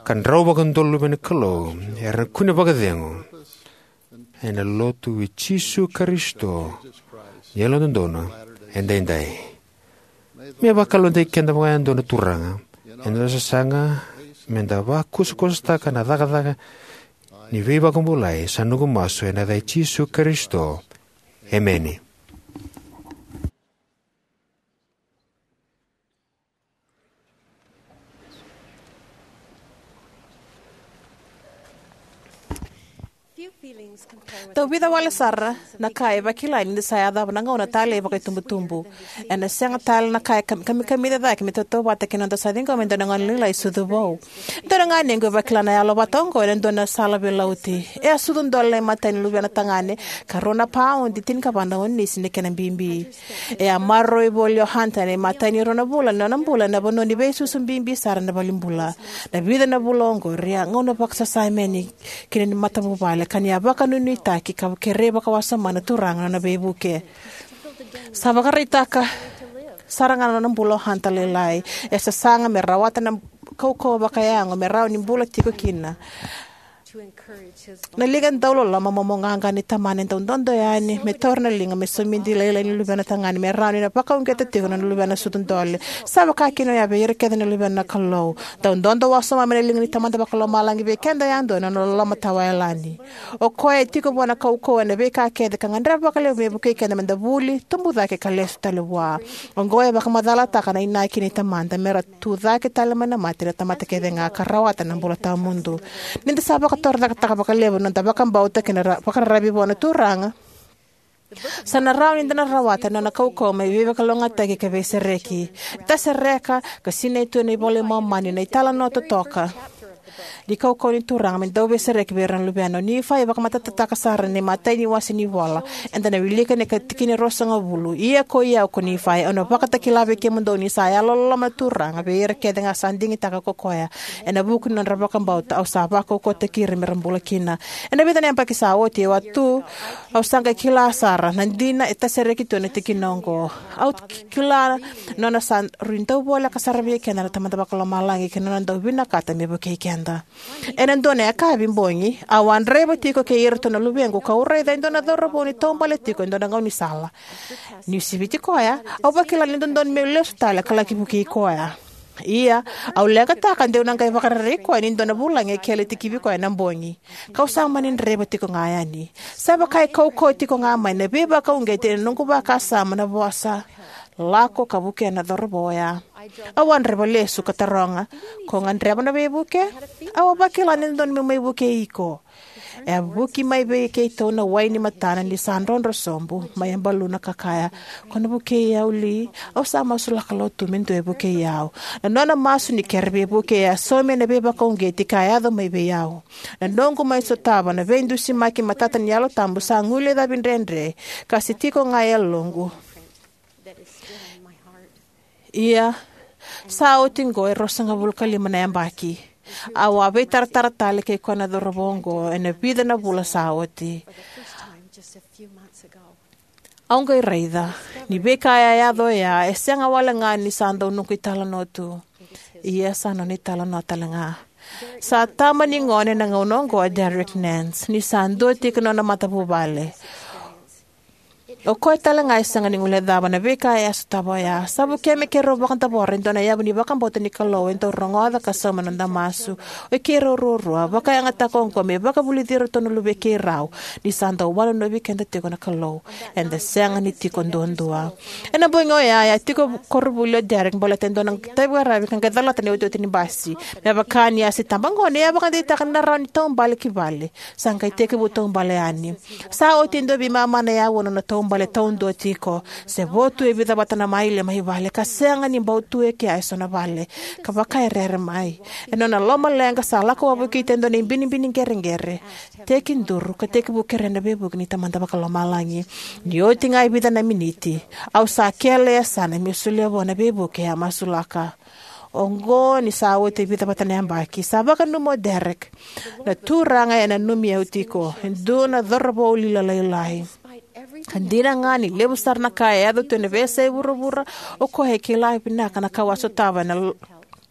Ka drau vakadua na luve ni Kalou era na kune vakacegu ena lotu i Jisu Karisito ni Yalododonu Edaidai. Me vakalougatataki keda vakayadua na Turaga ena noda sasaga me da vakusakusataka na cakacaka ni veivakabulai, sa noqu masu ena yaca i Jisu Karisito. Emeni. Tauvica wale sara na ka e vakilai ni da sa yacova na gauna talei vakaitubutubu. Ena sega tale na ka e kam- kamikamica cake me tautauvata kei na noda sa ciqoma e dua na gone lailai sucu vou. Dua na ganequ e vakila na yalo vata oqo ena dua na sala veilauti. E a sucu dole na imatai ni luvena tagane, ka rua na paudi tinikava na onisi na kena bibi. E a maroroi voli o Hunter ena imatai ni rua na vula ni nona bula ena vanua ni veisusu bibi sara ena valenibula. Na vica na vula oqori a gauna vakasasameni kina ni matavuvale, ka ni a vakanuinuitaki ka kerei vakawasoma na Turaga na nona veivuke. Sa vakaraitaka sara ga na nona bula o Hunter lailai. E sasaga me rawata na kaukauwa vakayago me rawa ni bula tiko kina. Na liga dauloloma momoqaqa ni tamana e dau dodo yani me taura na liga me somidi lailai ni luvena tagane me rawa ni na vakauqeta tiko na luvena sucu dole. Sa vaka kina oya vei ira kece na luvena na Kalou. Dau dodo wasoma mai na liga ni Tamada Vakalomalagi vei keda yadua na nona loloma tawayalani. O koya e tiko vua na kaukauwa ena veika kece ka gadreva vakalevu me vukei keda me da vuli, tubu cake ka lesu tale vua. Oqo e vakamacalataka na inaki ni Tamada me ra tu cake tale mai na mate na tamata kece ga ka rawata na bula tawamudu. Ni da sa vakatorocaketaka vakalevu na noda vakabauta kei na ra- vakararavi vua na Turaga, sa na rawa ni da na rawata na nona kaukauwa me veivakalougatataki ka veisereki. E tasereka ka sinai tu ena iVola i Momani na italanoa totoka Ni kaukauwa ni Turaga me dau veisereki vei ira na luvena. O Nifai e vakamatatataka sara ena imatai ni wase ni ivola. Eda na wilika ena ka tikina e ruasagavulu: Ia koi au ko Nifai, au na vakatakila vei kemudou ni sa yalololoma na Turaga vei ira kece ga sa digitaka ko koya, ena vuku ni nodra vakabauta au sa vakaukauwataki ira me ra bula kina. Ena vica na yabaki sa oti, au a tu, au sa qai kila sara na dina e tasereki tu ena tikina oqo. Au ki-, kila na nona sa rui dau voleka sara vei keda na Tamada Vakalomalagi kei na nona dau vinakata me vukei keda. Ena dua na yakavi bogi, au a draiva tiko kei iratou na luvequ, kau raica e dua na cauravou ni taubale tiko e dua na gaunisala. Niu siviti koya, au vakila ni dodonu meu lesu tale ka laki vukei koya. Ia, au leqataka de'u na qai vakarerei koya ni dua na vulagi e kele tikivi koya ena bogi. Kau sa mani draiva tiko ga yani. Sa vaka e kaukauwa tiko ga mai na veivakauqeti ena noqu vakasama na vosa: Lako ka vukea na cauravou oya. Au a draiva lesu ka taroga: Ko gadreva na veivuke? Au a vakila ni dodonu meu mai vukei iko. E a vuki mai vei keitou na wai ni matana ni sa drodro sobu mai Abaluna ka kaya: Ko na vukei au li? Au sa masulaka lo tu me dua e vukei au. Na nona masu ni kere veivuke e a saumi ena veivakauqeti ka yaco mai vei au. Na noqu mai sotava na veidusimaki matata ni Yalo Tabu sa guilecavi dredre, ka se tiko ga e yaloqu. Ia, sa oti oqo e ruasagavulu ka lima na yabaki. Au a veitaratara tale kei koya na cauravou oqo ena vica na vula sa oti. Au qai raica ni veika e a yaco oya e sega wale ga ni sa dau noqu italanoa tu. Ia, sa nona italanoa tale ga. Sa tama ni gone ena gauna oqo o Derek Nance, ni sa dua tiko na nona matavuvale. O koya tale ga e sega ni guilecava na veika e a sotava oya. Sa vukea me keirau vakadavora e dua na yavu ni vakabauta ni Kalou e dau rogoca ka sauma na noda masu. O i keirau ruarua, vakayagataka oqo me vakavulici iratou na luvei keirau, ni sa dau wanonovi keda tiko na Kalou. Eda sega ni tiko duadua. Ena bogi oya, e a tiko koronivuli o Derek baleta e dua na itaviqaravi ka qai calata na iotioti ni basi. Me vaka ni a se tabagone, e a vakadeitaka ni na rawa ni taubale ki vale. Sa qai tekivu taubale yani. Sa oti e dua veimama na auwa na nona taubale taudua tiko. Se vo tu e vica vata na maile mai vale, ka sega ni bau tu e kea eso na vale. Ka vaka e rere mai. Ena nona lomaleqa sa lako wavokita e dua na ibinibini qereqere. Tekiduru, ka tekivu kerea na veivuke ni Tamada Vakalomalagi. Ni oti ga e vica na miniti, au sa kele e yasana meu solia vua na veivuke e a masulaka. Oqo ni sa oti e vica vata na yabaki, sa vakananuma o Derek: Na Turaga e nanumi au tiko, e dua na cauravou lila lailai. Ka dina ga ni levu sara na ka e yaco tu ena veiyasai vuravura, o koya e kila vinaka na ka au a sotava ena l-,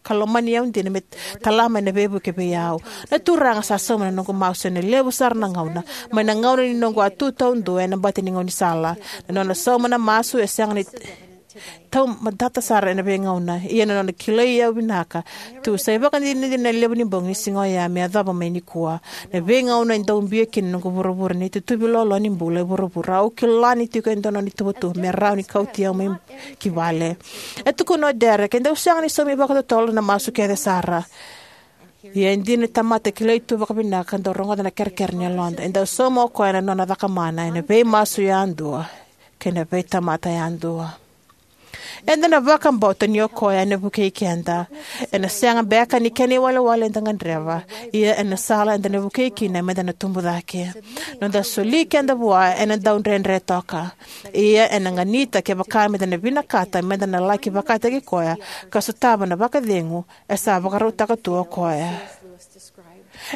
ka lomani au dina me tala mai na veivuke vei au. Na Turaga sa sauma na noqu masu ena levu sara na gauna, mai na gauna ni noqu a tu taudua ena bati ni gaunisala. Na nona sauma na masu e sega ni taumadata sara ena veigauna, ia na nona kilai au vinaka tu sa ivakadinadina na levu ni bogi ni siga oya me yacova mai nikua. Na veigauna e dau biu kina na noqu vuravura, na itutuvi loaloa ni bula e vuravura, au kila ni tiko e dua na nona ituvatuva me rawa ni kauti au mai ki vale. E tukuna o Derek, e dau sega ni saumi vakatotolo na masu kece sara. Ia e dina ni tamata e kilai tu vakavinaka ka dau rogoca na kerekere ni yaloda. E dau sauma o koya na nona cakamana ena veimasu yadua kei na veitamata yadua. Eda na vakabauta ni o koya ena vukei keda. Ena sega beka ni kena iwalewale eda gadreva, ia ena sala eda na vukei kina meda na tubu cake. Noda soli keda vua ena dau dredre toka. Ia ena ganita kevaka meda na vinakata meda na laki vakataki koya ka sotava na vakacegu e sa vakarautaka tu o koya.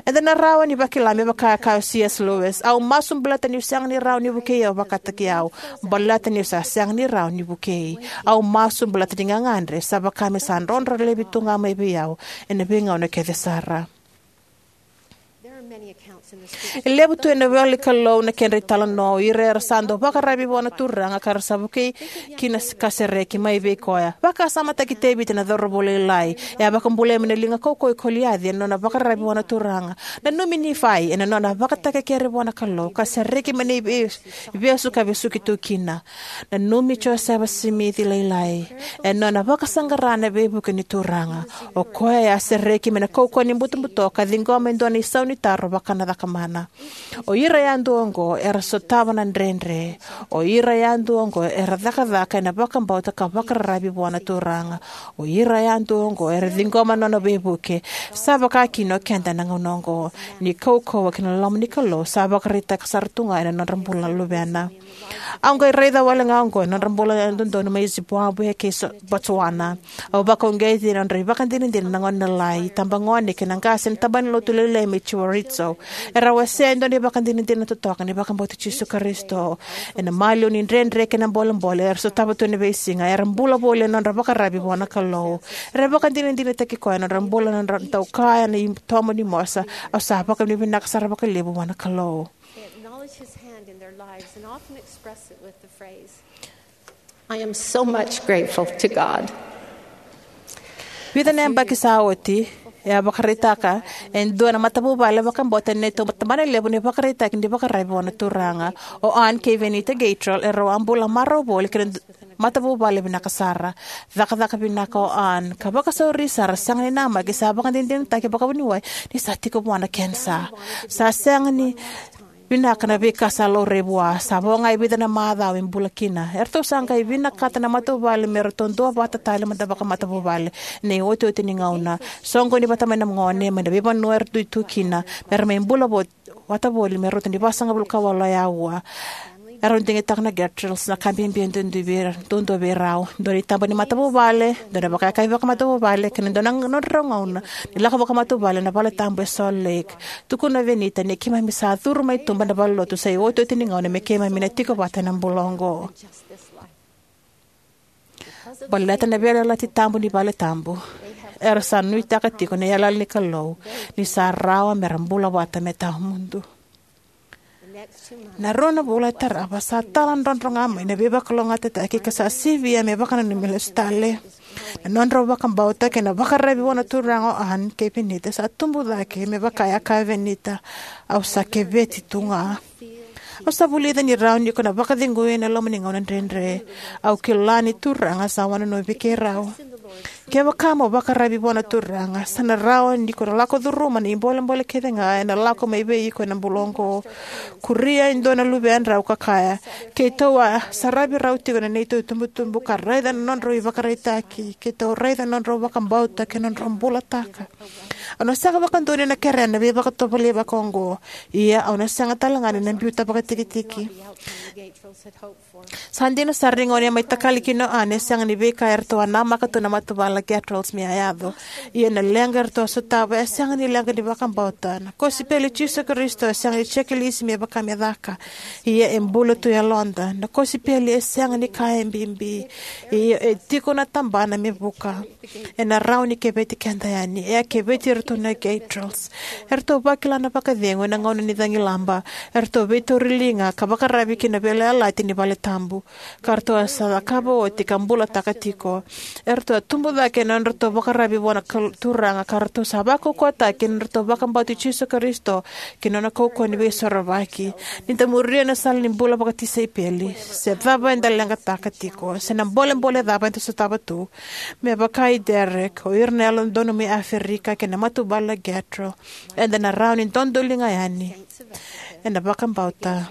Eda na rawa ni vakila me vaka e kaya o C S Lewis: Au masu baleta niu sega ni rawa ni vukei au vakataki au, baleta niu sa sega ni rawa ni vukei. Au masu baleta ni gagadre sa vaka me sa drodro laivi tu ga mai vei au ena veigauna kece sara. E levu tu ena ivolanikalou na kedra italanoa o ira era sa dau vakararavi vua na Turaga ka ra sa vukei kina ka sereki mai vei koya. Vakasamataki Tevita na cauravou lailai. E a vakabulai mai na liga kaukauwa i Koliaci ena nona vakararavi vua na Turaga. Nanumi Nifai ena nona vakatakekere vua na Kalou ka sereki mai na ive-, ivesu ka vesuki tu kina. Nanumi Josefa Simici lailai ena nona vakasaqara na veivuke ni Turaga. O koya e a sereki mai na kaukauwa ni butobuto ka ciqoma e dua na isau ni taro vaka na ka mana. O ira yadua oqo era sotava na dredre. O ira yadua oqo era cakacaka ena vakabauta ka vakararavi vua na Turaga. O ira yadua oqo era ciqoma na nona veivuke. Sa vaka kina o keda ena gauna oqo. Ni kaukauwa ki na loma ni Kalou sa vakaraitaka sara tu ga ena nodra bula na luvena. Au qai raica wale ga oqo ena nodra bula na dodonu mai Zimbabwe kei Botswana. Au vakauqeti ena nodra ivakadinadina na gone lalai, itabagone kei na qase ena tabana ni lotu lailai mai Chorizo. Era wasea e dua na ivakadinadina totoka ni vakabauti Jisu Karisito. Ena maliwa ni dredre kei na bolebole era sotava tu ena veisiga, era bula voli ena nodra vakararavi vua na Kalou. Era vakadinadinataki koya ena nodra bula, na nodra dau kaya ena itomo ni mosa, "Au sa vakavinavinaka sara vakalevu vua na Kalou." I am so much grateful to God. Vica na yabaki sa oti, e a vakaraitaka e dua na matavuvale vakabauta ena neitou tabana levu ni vakaraitaki ni vakararavi vua na Turaga. O Ann kei Venita Gatrell erau a bula marau voli kei na matavuvale vinaka sara. Cakacaka vinaka o Ann ka vakasauri sara, sega ni namaki, sa vakadinadinataki vakavuniwai ni sa tiko vua na kenisa. Sa sega ni vinaka na veika sa laurai vua. Sa vo ga e vica na macawa e bula kina. Eratou sa qai vinakata na matavuvale me ratou duavata tale mada vakamatavuvale ena iotioti ni gauna. Soqoni vata mai na gone mai na veivanua eratou tu kina me ra mai bula vata voli me rauta ni vasagavulu ka walu na aua. Erau digitaka na Gatrells na ka bibi e duadua vei rau: dua na itaba ni matavuvale, dua na vakayakavi vakamatavuvale, kei na dua na nodrau gauna ni lako vakamatavuvale ena valetabu e Salt Lake. Tukuna o Venita ni keimami sa curu mai tuba ena valenilotu sa iotioti ni gauna me keimami na tiko vata ena bula oqo. Baleta na veiyalayalati tabu ni valetabu, era sa nuitaka tiko na yalayala ni Kalou ni sa rawa me ra bula vata me tawamudu. Na rua na vula e tarava sa taladrodro ga mai na veivakalougatataki ka sa sivia me vakananumi lesu tale. Na nodrau vakabauta kei na vakararavi vua na Turaga o Ann kei Venita sa tubu cake, me vaka e a kaya o Venita, "Au sa keveti tu ga." Au sa vulica ni rawa ni ko na vakacegui ena loma ni gauna dredre. Au kila ni Turaga sa wanonovi keirau. Kevaka mo vakararavi vua na Turaga, sa na rawa ni ko na lako curuma na ibolebole kece ga ena lako mai vei iko ena bula oqo. Kuria e dua na luvedrau ka kaya, "Keitou a saravi rau tiko na neitou itubutubu ka raica na nodrau ivakaraitaki. Keitou raica na nodrau vakabauta kei na nodrau bulataka. Au na sega vakadua ni na kerea na veivakatovolei vakaoqo. Ia au na sega tale ga ni na biuta vakatikitiki." Sa dina sara ni gauna e mai takali kina o Ann, e sega ni veika eratou a namaka tu na matavuvale na Gatrells me a yaco. Ia na leqa eratou a sotava e sega ni leqa ni vakabauta. Na kosipeli i Jisu Karisito e sega ni jekelisi me vaka me caka. Ia e bula tu e yaloda. Na kosipeli e sega ni ka e bibi. Ia e tiko na tabana me vuka. Ena rawa ni keveti keda yani. E a keveti iratou na Gatrells. Eratou vakila na vakacegu ena gauna ni cagilaba. Eratou veitauri liga ka vakararavi ki na veiyalayalati ni valetabu ka ratou a sa cakava oti ka bulataka tiko. Eratou a tubu cake ena nodratou vakararavi vua na Kal-, Turaga, ka ratou sa vakaukauwataki ena nodratou vakabauti Jisu Karisito kei na nona kaukauwa ni veisorovaki. Ni da muria na sala ni bula vakatisaipeli, se cava eda leqataka tiko, se na bolebole cava eda sotava tu, me vaka i Derek, o ira na Yalododonu mai Aferika, kei na matavuvale na Gatrell, eda na rawa ni dodoliga yani ena vakabauta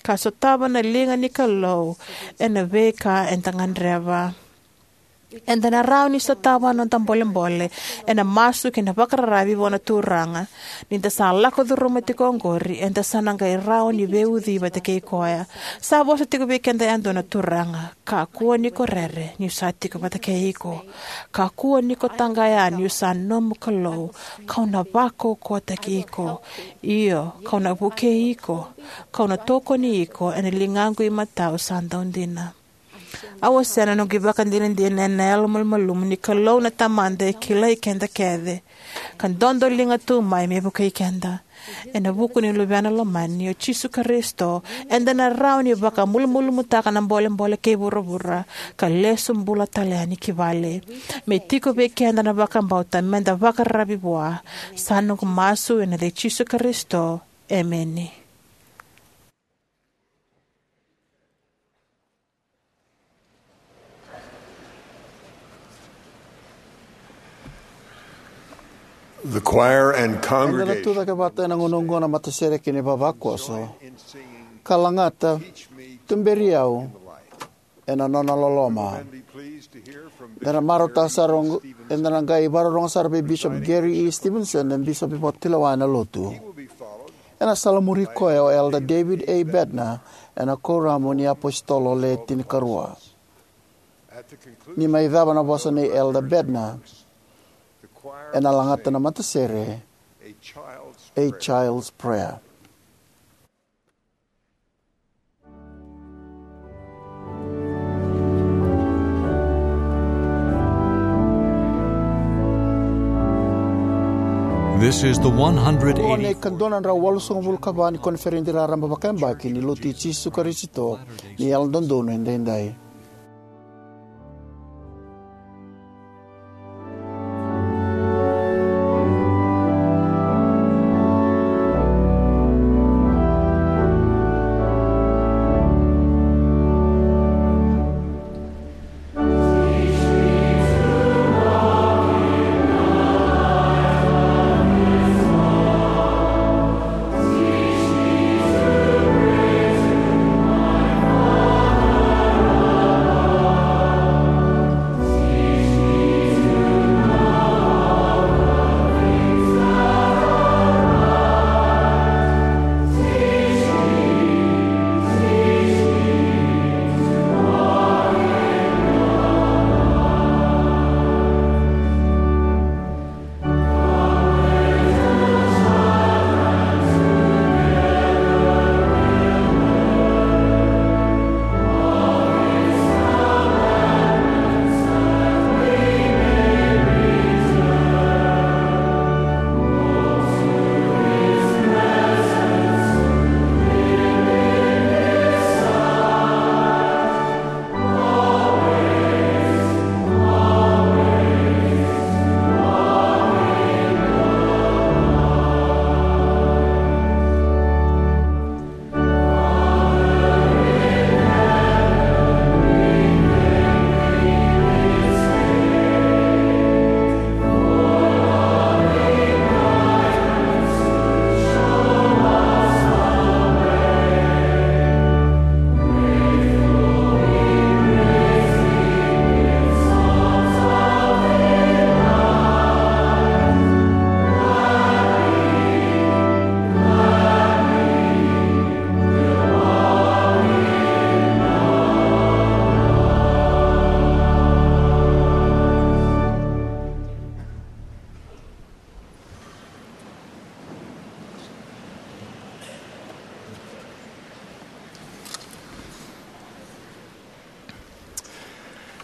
ka sotava na liga ni Kalou ena veika eda gadreva. Eda na rawa ni sotava na noda bolebole ena masu kei na vakararavi vua na Turaga. Ni da sa lako curuma tiko oqori, eda sa na qai rawa ni veiucui vata kei koya. Sa vosa tiko vei keda yadua na Turaga: "Kakua ni ko rere, niu sa tiko vata kei iko. Kakua ni ko taqaya, niu sa nomu Kalou. Kau na vakaukauwataki iko. Io, kau na vukei iko. Kau na tokoni iko ena ligaqu imatau sa daudina." Au wasea na noqu ivakadinadina ena yalomalumalumu ni Kalou na Tamada e kilai keda kece ka dodoliga tu mai me vukei keda. Ena vuku ni Luvena lomani, o Jisu Karisito, eda na rawa ni vakamalumalumutaka na bolebole kei vuravura ka lesu bula tale yani ki vale. Me tiko vei keda na vakabauta meda vakararavi vua. Sa noqu masu ena yaca i Jisu Karisito. Emeni. The choir and congregation. Eda na tucake vata ena gauna oqo na matasere kei na ivavakoso ka lagata, "Tuberi au ena nona loloma." Eda na marautaka sara oqo, eda na qai vakarorogo sara vei Bishop Gary E. Stevenson, na bisopi vakatulewa ena lotu. Ena salamuri koya o Elder David A. Bednar ena Kuoramu ni iApositolo Le Tinikarua. Ni mai cava na vosa nei Elder Bednar, ena lagata na matasere, A Child's Prayer. This is the one hundred eighty. Ena ikadua na drau walusagavulu ka va ni koniferedi raraba vakayabaki ni Lotu i Jisu Karisito ni Yalododonu Edaidai.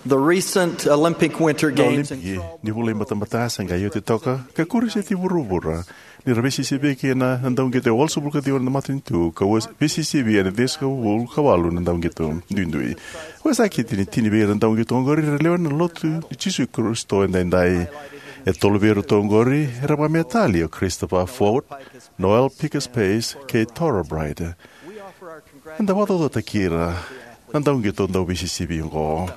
The recent Olympic Winter Na Games in Olimpiki ni vula i batabata sa qai oti toka ka kuri seti vuravura, ni ra veisisivi kina na dauqito e walusagavulu ka ciwa na matanitu ka veisisivi ena ciwasagavulu ka walu na dauqito duidui. Vakasakiti ni tini vei ira na dauqito oqori era lewe ni Lotu i Jisu Karisito Edaidai. E tolu vei iratou oqori era vakamatei tale, o Christopher Foat, Noel Pikus Pace kei Torah Bright. Eda vakacaucautaki ira na dauqito dauveisisivi oqo.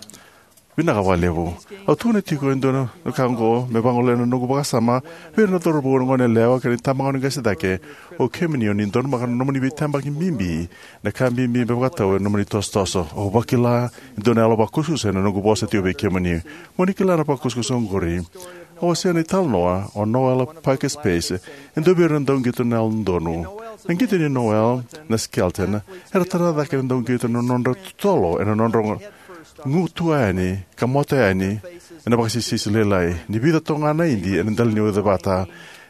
Vinaka vakalevu. Au tukuna tiko e dua na ka oqo me vagolea na noqu vakasama vei ira na cauravou, na goneyalewa kei na itabagone qase cake. O kemuni o ni donumaka na nomuni veitabaki bibi, na ka bibi me vakatau ena nomuni tosotoso. Au vakila e dua na yalo vakusakusa ena noqu vosa tiko vei kemuni. Mo ni kila na vakusakusa oqori. Au wasea na italanoa o Noel Pikus Pace, e dua vei ira na dauqito na Yalododonu. Na qito nei Noel na skeleton era tara cake na dauqito na nodra totolo ena nodra gutuva yani ka moto yani ena vakasisisi lailai. Ni vica toka ga na idi ena dela ni ucevata,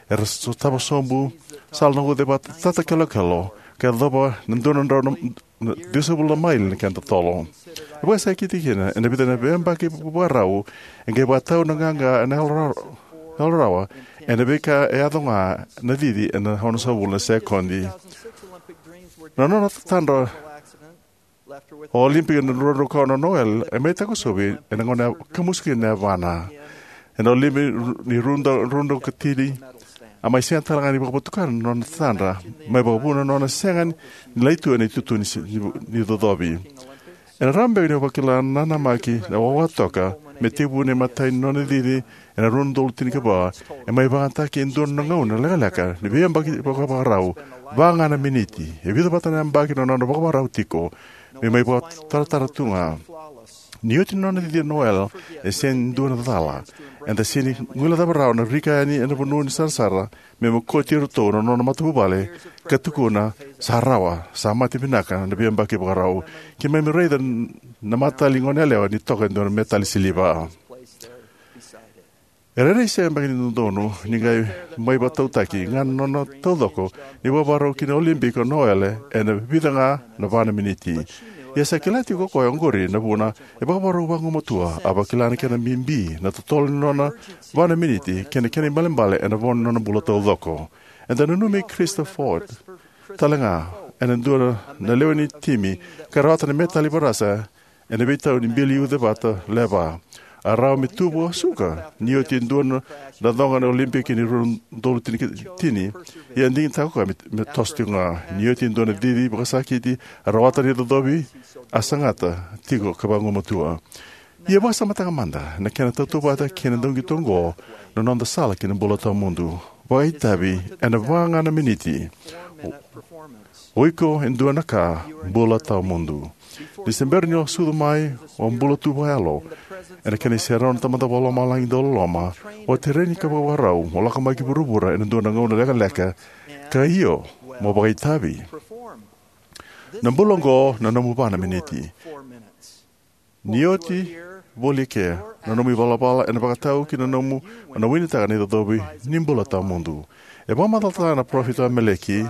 era sotava sobu, sala na ucevata tatakelokelo ka yacova na dua na drau na na ciwasagavulu na maile na kena totolo. E vakasakiti kina ena vica na veiyabaki vakarau, e qai vakatau na qaqa ena yalo ra-, yalo rawa ena veika e yaco ga na cici ena onosagavulu na sekodi. Na nona tatadra o Olympic ena rua na drau ka ono, o Noel e mai takosovi ena gauna e kamusu kina na yavana. Ena Olympic ni rua na drau, rua na drau ka tini, a mai sega tale ga ni vakavotukana na nona tatadra, mai vakavuna na nona sega ni lai tu ena itutu ni se-, ni, ni cocovi. Ena rawa beka ni o vakila na nanamaki na wawa toka me tekivu na imatai ni nona cici ena rua na udolu tinikava, e mai vakayagataki e dua na gauna lekaleka ni veiyabaki vakavakarau, va ga na miniti. E vica vata na yabaki na nona vakavakarau tiko, me mai vakataratara tu ga. Ni oti na nona cici o Noelle, e sega ni dua na cala. Eda sega ni guilecava rawa na rika yani ena vanua ni sarasara, me mokoti iratou na nona matavuvale, ka tukuna, "Sa rawa, sa mate vinaka na veiyabaki vakarau." Keimami raica na matali gone yalewa ni toka e dua na metali siliva. E rairai sega beka ni dodonu ni qai mai vakatautaki ga na nona taucoko ni vakavakarau ki na Olympic o Noelle ena vica ga na va na miniti. Ia sa kila tiko o koya oqori na vuna e vakavakarau vagumatua, a vakila na kena bibi na totolo ni nona va na miniti kei na kena ibalebale ena vo ni nona bula taucoko. Eda nanumi Christa Ford tale ga, ena dua na lewe ni timi ka rawata na metali varasa ena veitau ni bili ucevata leva. A rawa me tu vakasuka ni oti e dua na coqa na Olympic ni rua na udolu tinikatini, ia e digitaka o koya me, me toso tiko ga. Ni oti e dua na cici vakasakiti, a rawata na icocovi a sagata tiko ka vagumatua. Ia vakasamataka mada na kena tautauvata kei na dauqito oqo na noda sala ki na bula tawamudu. Vakaitavi ena va ga na miniti. O iko e dua na ka, bula tawamudu. Ni se bera ni o sucu mai, o bula tu vakayalo ena kena iserau na Tamada Vakalomalagi dauloloma, o tereni ka vakavakarau mo lako mai ki vuravura ena dua na gauna lekaleka, ka io, mo vakaitavi. Na bula oqo na nomu va na miniti. Ni oti voli eke na nomu ivalavala ena vakatau ki na nomu, na winitaka na icocovi ni bula tawamudu. E vakamacalataka na parofita o Ameleki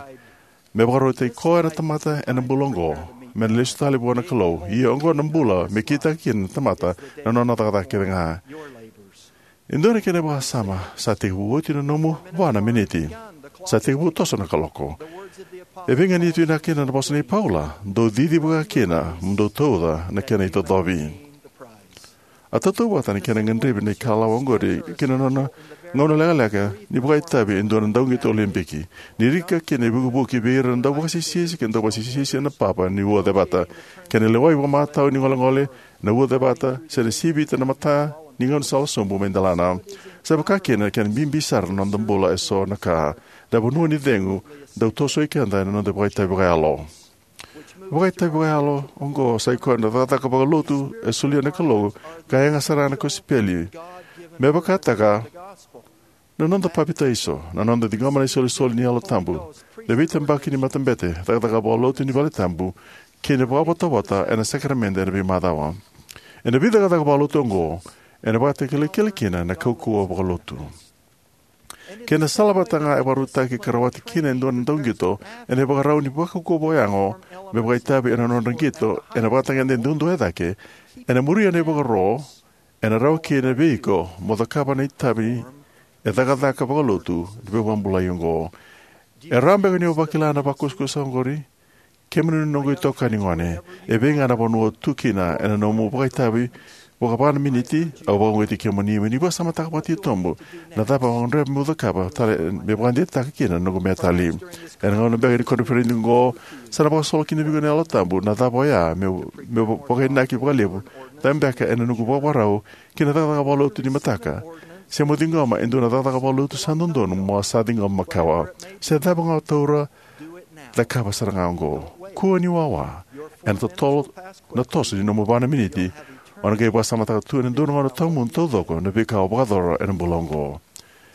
me vakarautaki koya na tamata ena bula oqo me na lesu tale vua na Kalou. Ia oqo na bula me kitaka kina na tamata na nona cakacaka kece ga. E dua na kena vakasama, sa tekivu oti na nomu va na miniti. Sa tekivu toso na kaloko. E veiganiti vinaka kina na vosa nei Paula, "Dou cici vaka kina, mo dou tauca na kena icocovi." A tautauvata na kena gadrevi na ikalawa oqori ki na nona gauna lekaleka ni vakaitavi e dua na dauqito Olympic. Ni rika kina e vukivuki vei ira na dauvakasisisi kei na dauvakasisisi ena papa ni uacevata, kei na lewai vakamatau ni golegole na uacevata, se na sivita na mata ni gaunisala sobu mai delana. Sa vaka kina na kena bibi sara na noda bula eso na ka, na vanua ni cegu dau tosoi keda ena noda vakaitavi vakayalo. Vakaitavi vakayalo oqo sa ikoya na cakacaka vakalotu e solia na Kalou ka yaga sara na kosipeli. Me vakataka na noda papitaiso, na noda ciqoma na isolisoli ni Yalo Tabu, na veitabaki ni matabete, cakacaka vakalotu ni valetabu, kei na vakavotavota ena sakaramede ena veimacawa. Ena veicakacaka vakalotu oqo, ena vakatakilakila kina na kaukauwa vakalotu. Kei na sala vata ga e vakarautaki ka rawati kina e dua na dauqito ena ivakarau ni vakaukauwa vakayago me vakaitavi ena nodra qito ena vakatagede duadua e cake, ena muria na ivakaro ena rawa kina vei iko mo cakava na itavi e cakacaka vakalotu ni veivakabulai oqo. E rawa beka ni o vakila na vakusakusa oqori? Kemuni na noqu itokani gone, e vei ga na vanua o tu kina ena nomu vakaitavi vakava na miniti, au vakauqeti kemuni mo ni vakasamataka vakatitobu na cava o gadreva meu cakava tale me vakadeitaka kina na noqu metali. Ena gauna beka ni koniferedi oqo, sa na vakasolo kina vei iko na Yalo Tabu na cava oya meu, meu vakainaki vakalevu, cava beka ena noqu vakavakarau ki na cakacaka vakalotu ni mataka, se mo ciqoma e dua na cakacaka vakalotu sa dodonu mo a sa ciqoma makawa. Se cava ga o taura, cakava sara ga oqo. Kua ni wawa. Ena totolo na toso ni nomu va na miniti, o na qai vakasamataka tu ena dua na gauna tawamudu taucoko na veika o vakayacora ena bula oqo.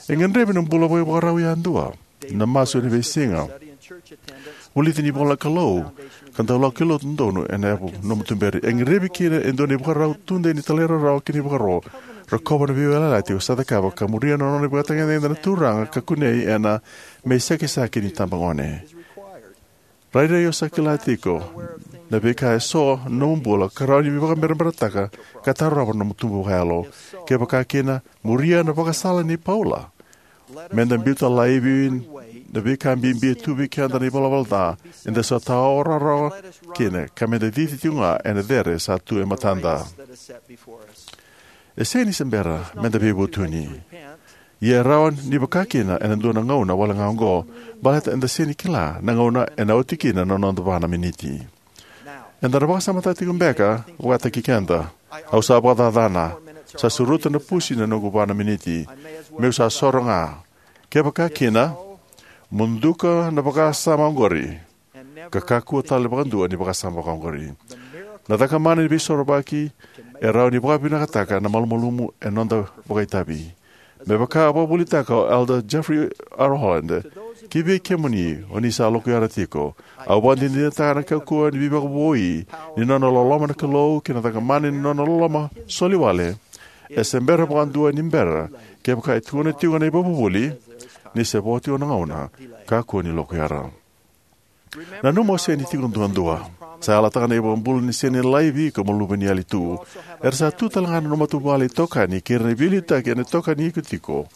E gadrevi na bula vakaivakarau yadua, na masu ena veisiga, vulici ni ivola na Kalou, ka dau lako ki lotu donu ena yavu nomu tuberi. E gadrevi kina e dua na ivakarau tudei ni talairawarawa kei na ivakaro. Rokova na veiyalayalati o sa cakava ka muria na nona ivakatagedegede na Turaga ka kunei ena me iSakisaki ni Tabagone. Rairai o sa kila tiko na veika eso na nomu bula ka rawa ni veivakabereberetaka ka tarova na nomu tubu vakayalo. Kevaka kina, muria na vakasala nei Paula. Meda biuta laivi na veika bibi e tu vei keda na ivalavala ca, eda sa tawa rawa kina, ka meda cici tiko ga ena cere sa tu e matada. E sega ni se bera meda veivutuni. Ia e rawa ni vaka kina ena dua na gauna wale ga oqo, baleta eda sega ni kila na gauna ena oti kina na noda va na miniti. Eda na vakasamataka tiko beka vakataki keda. Au sa vakacacana. Sa suruta na pusi na noqu va na miniti. Meu sa soro ga. Kevaka kina, mo duka na vakasama oqori, ka kakua tale vakadua ni vakasama vakaoqori. Na cakamana ni veisorovaki e rawa ni vakavinakataka na malumalumu e noda vakaitavi. Me vaka a vakavuvulitaka o Elder Jeffrey R. Holland, ki vei kemuni o ni sa lokuyara tiko, au vakadinadinataka na kaukauwa ni veivakavoui ni nona loloma na Kalou kei na cakamana ni nona loloma soli wale. E se bera vakadua ni bera, kevaka e tukuna tiko na ivakavuvuli, ni se vo tiko na gauna, kakua ni lokuyara. Nanuma o sega ni tiko duadua. Sa yalataka na iVakabula ni sega ni laivi iko mo luve ni yali tu. Era sa tu tale ga na nomu matavuvale itokani kei ira na veiliutaki ena tokani iko tiko.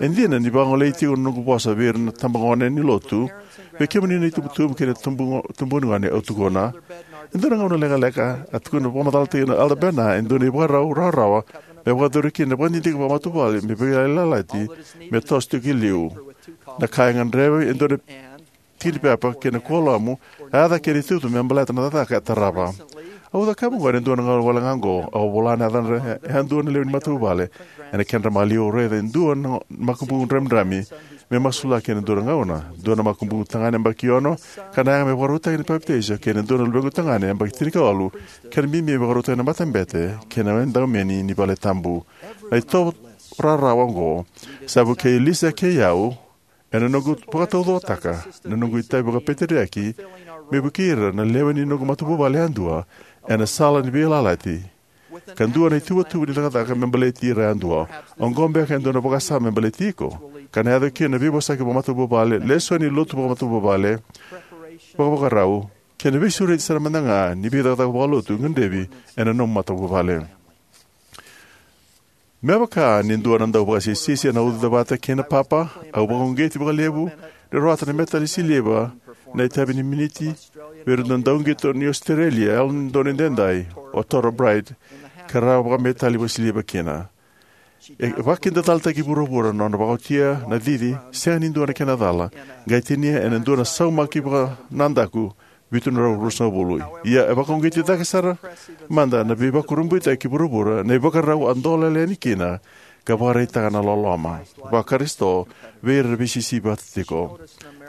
E dina ni vagolei tiko na noqu vosa vei ira na tabagone ni lotu, vei kemuni na itubutubu kei na tubu, tubu ni gone au tukuna. E dua na gauna lekaleka, a tukuna vakamacalataki na Elder Bednar e dua na ivakarau rawarawa me vakayacori kina na vakadidike vakamatavuvale me veiyalayalati me toso tiko ki liu. Na ka e gadrevi e dua na tiki ni pepa kei na kuoramu, a yaca kei na itutu me baleta na cakacaka e tarava. Au cakava oqo ena dua na gauna wale ga oqo, au vola na yacadra e dua na lewe ni matavuvale. Ena kedra maliwa au raica e dua na makubuqu dramidrami me masulaki ena dua na gauna. Dua na makubuqu tagane yabaki ono, ka na yaga me vakarautaki na papitaiso, kei na dua na luvequ tagane yabaki tinikawalu, ka na bibi me vakarautaki na matabete kei na edaumeni ni vale tabu. Na itovo rawarawa oqo sa vukei Lisa kei au, ena noqu vakataucokotaka na noqu itavi vakapeteriaki, me vukei ira na lewe ni noqu matavuvale yadua, ena sala ni veiyalayalati. Ka dua na ituvatuva ni cakacaka me baleti ira yadua. Oqo beka e dua na vakasama me baleti iko. Ka na yaco kina na veivosaki vakamatavuvale, lesoni lotu vakamatavuvale, vakavakarau, kei na veisureti sara mada ga ni veicakacaka vakalotu gadrevi ena nomu matavuvale. Me vaka ni dua na dau vakasisisi ena uca vata kei na papa, au vakauqeti vakalevu ni rawata na metali siliva na itavi ni miniti vei ira na dauqito ni Ositerelia, Yalododonu Edaidai, o Torah Bright, ka ra vakametali vakasiliva kina. E vakakidacalataki vuravura na nona vakaotia na cici, sega ni dua na kena cala, qai tinia ena dua na saumaki vakanadaku, vitu na drau ruasagavulu. Ia e vakauqeti cake sara mada na veivakurabuitaki ki vuravura na ivakarau a dolele yani kina, ka vakaraitaka na loloma vaKarisito vei ira na veisisivi vata tiko.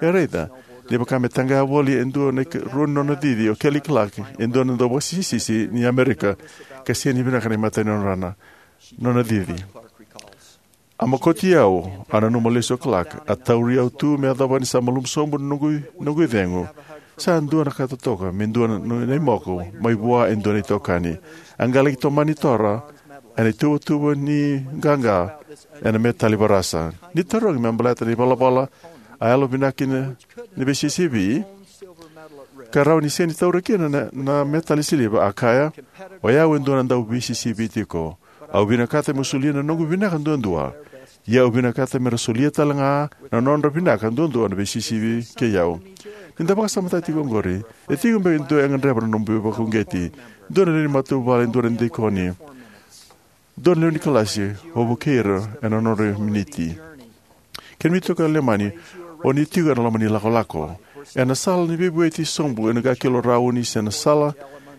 E raica ni vaka me taqaya voli e dua na ikarua ni nona cici o Kelly Clark, e dua na dau vakasisisi ni Amerika, ka sega ni vinaka na imatai ni nona, nona cici. A mokoti au, a nanuma lesu o Clark, a tauri au tu me yacova ni sa malumu sobu na noqu, noqu icegu. Sa dua na ka totoka me dua na, na imoko mai vua e dua na itokani. A qai laki tomani Torah ena ituvatuva ni qaqa ena metali varasa. Ni tarogi me baleta na ivalavala a yalovinaka kina na veisisivi, ka rawa ni sega ni taura kina na, na metali siliva, a kaya, o yau e dua na dau veisisivi tiko. Au vinakata meu solia na noqu vinaka duadua. Ia au vinakata me ra solia tale ga na nodra vinaka duadua na veisisivi kei au. Ni da vakasamataka tiko oqori, e tiko beka e dua e gadreva na nomu veivakauqeti. Dua na lewe ni matavuvale, dua na dikoni, dua na lewe ni kalasi, o vukei ira ena nodra miniti. Kemuni toka Lemani, o ni tiko ena loma ni lakolako. Ena sala ni veivueti sobu ena qai kilo rauni se na sala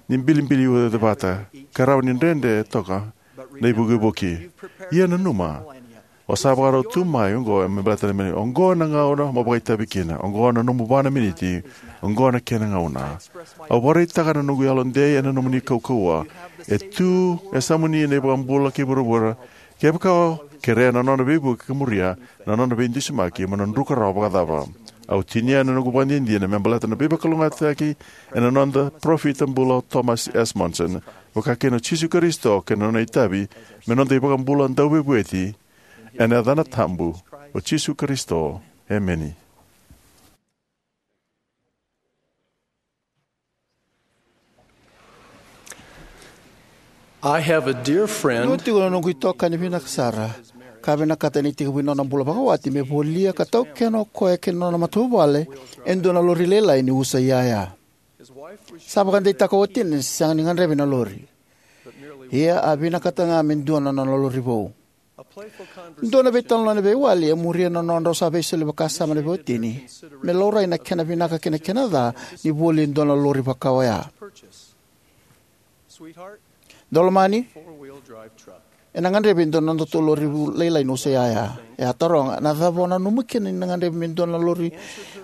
ni bilibili ucavata, ka rawa ni dredre toka na ivukivuki. Ia nanuma, o sa vakarau tu mai oqo me baleta na mani, oqo na gauna mo vakaitavi kina, oqo na nomu va na miniti, oqo na kena gauna. Au vakaraitaka na noqu yalodei ena nomuni kaukauwa. E tu e yasamuni na iVakabula kei vuravura, kevaka o kerea na nona veivuke ka muria na nona veidusimaki, mo na druka rawa vakacava. Au tinia na noqu vakadinadina me baleta na veivakalougatataki ena noda parofita bula o Thomas S. Monson, vaka kina o Jisu Karisito, kei na nona itavi me noda iVakabula dauveivueti, ena yacana tabu o Jisu Karisito. Emeni. I have a dear friend. Dua tiko na noqu itokani vinaka sara, ka vinakata ena itekivu ni nona bula vakawati me volia ka taukena o koya kei na nona matavuvale e dua na lori lailai ni usa iyaya. Sa vakadeitaka o watina ni sega ni gadrevi na lori. Ia a vinakata ga me dua na nona lori vou. Dua na veitalanoa ni veiwali e muria na nodrau sa veisoli vakasama na veiwatini me laurai na kena vinaka kei na kena ca ni voli e dua na lori vaka oya. Daulomani, Ena gadrevi e dua na nodatou lori lailai ni usa iyaya. E a taroga, na cava o nanuma kina ni na gadrevi me dua na lori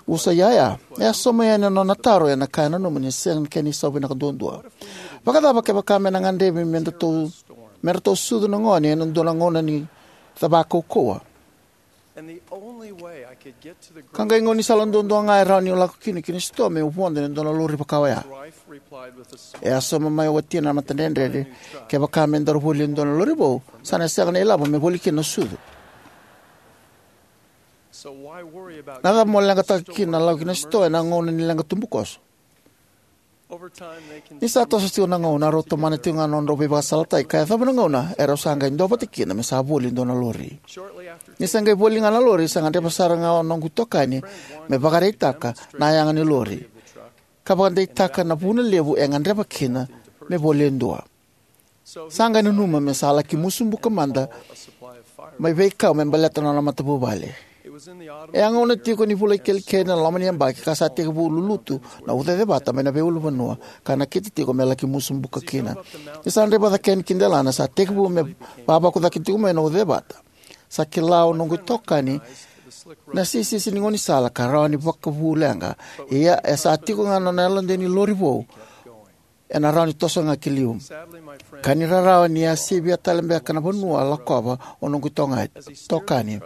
usa iyaya? E a sauma yani na nona taro ena ka e nanuma ni sega ni kena isau vinaka duadua. Vakacava kevaka me na gadrevi me datou, me ratou sucu na gone ena dua na gauna ni cava kaukauwa? Ka qai gaunisala duadua ga e rawa niu lako kina ki na sitoa meu vodo ena dua na lori vaka oya. E a sauma mai o watina na matadredredre, kevaka me daru voli e dua na lori vou, sa na sega na ilavo me voli kina na sucu. Na cava mo leqataka kina na lako ki na sitoa ena gauna ni leqa tubukoso? Ni sa toso tiko na gauna, rau tomana tiko ga na nodrau veivakasalataki ka yacova na gauna erau sa qai duavata kina me sa voli e dua na lori. Ni sa qai voli ga na lori, sa gadreva sara ga o noqu itokani me vakaraitaka na yaga ni lori ka vakadeitaka na vuna levu e gadreva kina me voli e dua. Sa qai nanuma me sa laki musu buka mada mai veikau me baleta na nona matavuvale. E a gauna tiko ni vula ikelikeli na loma ni yabaki ka sa tekivu lulutu na ucacevata mai na veiulunivanua ka nakita tiko me laki musu buka kina. Ni sa draiva cake yani ki delana, sa tekivu me vavaku cake tiko mai na ucacevata. Sa kila o noqu itokani na sisisi ni gaunisala ka rawa ni vakavu leqa. Ia e sa tiko ga na nona yalodei ni lori vou, ena rawa ni toso ga ki liu. Ka ni rarawa ni a sivia tale beka na vanua a lakova o noqu itoga-, itokani.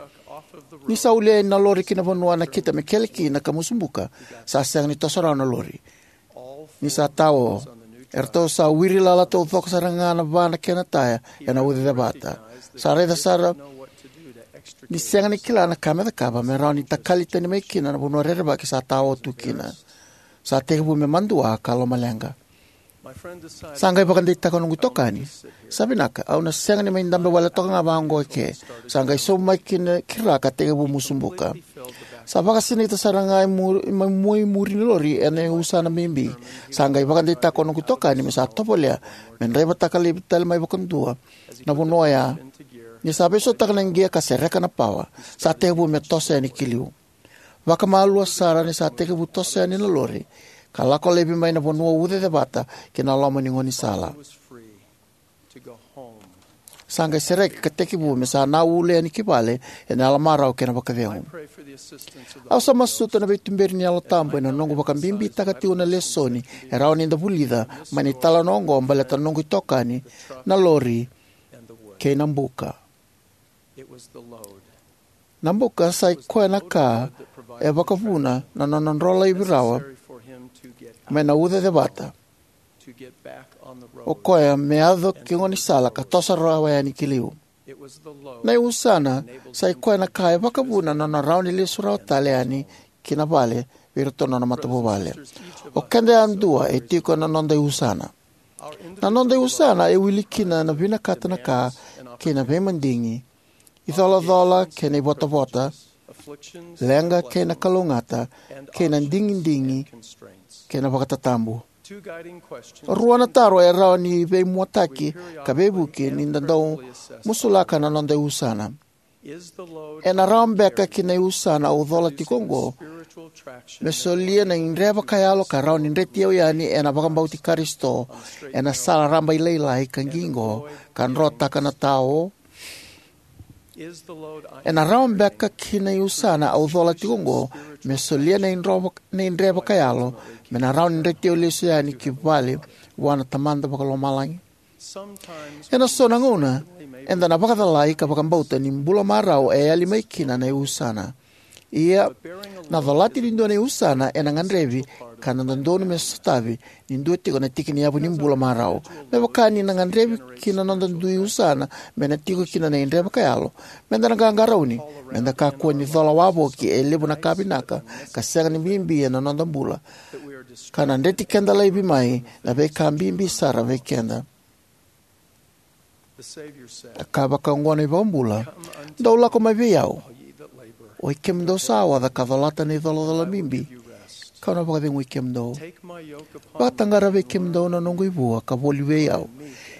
Ni sa ulia na lori ki na vanua a nakita me kele kina ka musu buka, sa sega ni toso rawa na lori. Ni sa tao, eratou sa wiri lala taucoko sara ga na va na kena taya ena ucacevata. Sa raica sara ni sega ni kila na ka me cakava me rawa ni takali tani mai kina na vanua rerevaki sa tao tu kina. Sa tekivu me madua ka lomaleqa. Sa qai vakadeitaka o noqu itokani, "Sa vinaka, au na sega ni mai dabe wale toka ga vaqo eke." Sa qai sobu mai kina ki ra ka tekivu musu buka. Sa vakasinaita sara ga i muri, mai mua i muri ni lori ena iusana bibi. Sa qai vakadeitaka o noqu itokani me sa tovolea me draivataka laivi tale mai vakadua na vanua oya. Ni sa veisautaka na gia ka sereka na pawa, sa tekivu me toso yani ki liu. Vakamalua sara ni sa tekivu toso yani na lori ka lako laivi mai na vanua ucacevata ki na loma ni gaunisala. Sa qai sereki ka tekivu me sa na ule yani ki vale ena yalomarau kei na vakacegu. Au sa masuta na veituberi ni Yalo Tabu ena noqu vakabibitaka tiko na lesoni e rawa ni da vulica mai na italanoa oqo baleta na noqu itokani, na lori, kei na buka. Na buka sa i koya na ka e vakavuna na nona dro laivi rawa mai na ucacevata. O koya me yaco ki gaunisala ka toso rawa yani ki liu. Na iusana sa i koya na ka e vakavuna na nona rawa ni lesu rawa tale yani ki na vale vei iratou na nona matavuvale. O keda yadua e tiko na noda iusana. Na noda iusana e wili kina na vinakata na ka kei na veimadigi, icolacola kei na ivotavota, leqa kei na kalougata, kei na digidigi kei na vakatatabu. Rua na taro e rawa ni veimuataki ka veivuke ni da dau musulaka na noda iusana. Ena rawa beka ki na iusana au cola tiko oqo me solia na idre vakayalo ka rawa ni dreti au yani ena vakabauti Karisito ena sala rabailailai ka qiqo ka drotaka na tao? Ena rawa beka ki na iusana au cola tiko oqo me solia na idro vak-, na idre vakayalo me na rawa ni dreti au lesu yani ki vale vua na Tamada Vakalomalagi? Ena so na gauna, eda na vakacalai ka vakabauta ni bula marau e yali mai kina na iusana. Ia, na colati ni dua na iusana ena gadrevi ka na dodonu me sotavi ni dua tiko na tiki ni yavu ni bula marau. Me vaka ni na gadrevi ki na noda dui usana me na tiko kina na idre vakayalo, meda na qaqarauni meda kakua ni cola wavoki e levu na ka vinaka ka sega ni bibi ena noda bula, ka na dreti keda laivi mai na veika bibi sara vei keda. A kaya vakaoqo na iVakabula, "Dou lako mai vei au, oi kemudou sa oca ka colata na icolacola bibi, kau na vakacegui kemudou. Vakataqara vei kemudou na noqu ivua ka voli vei au,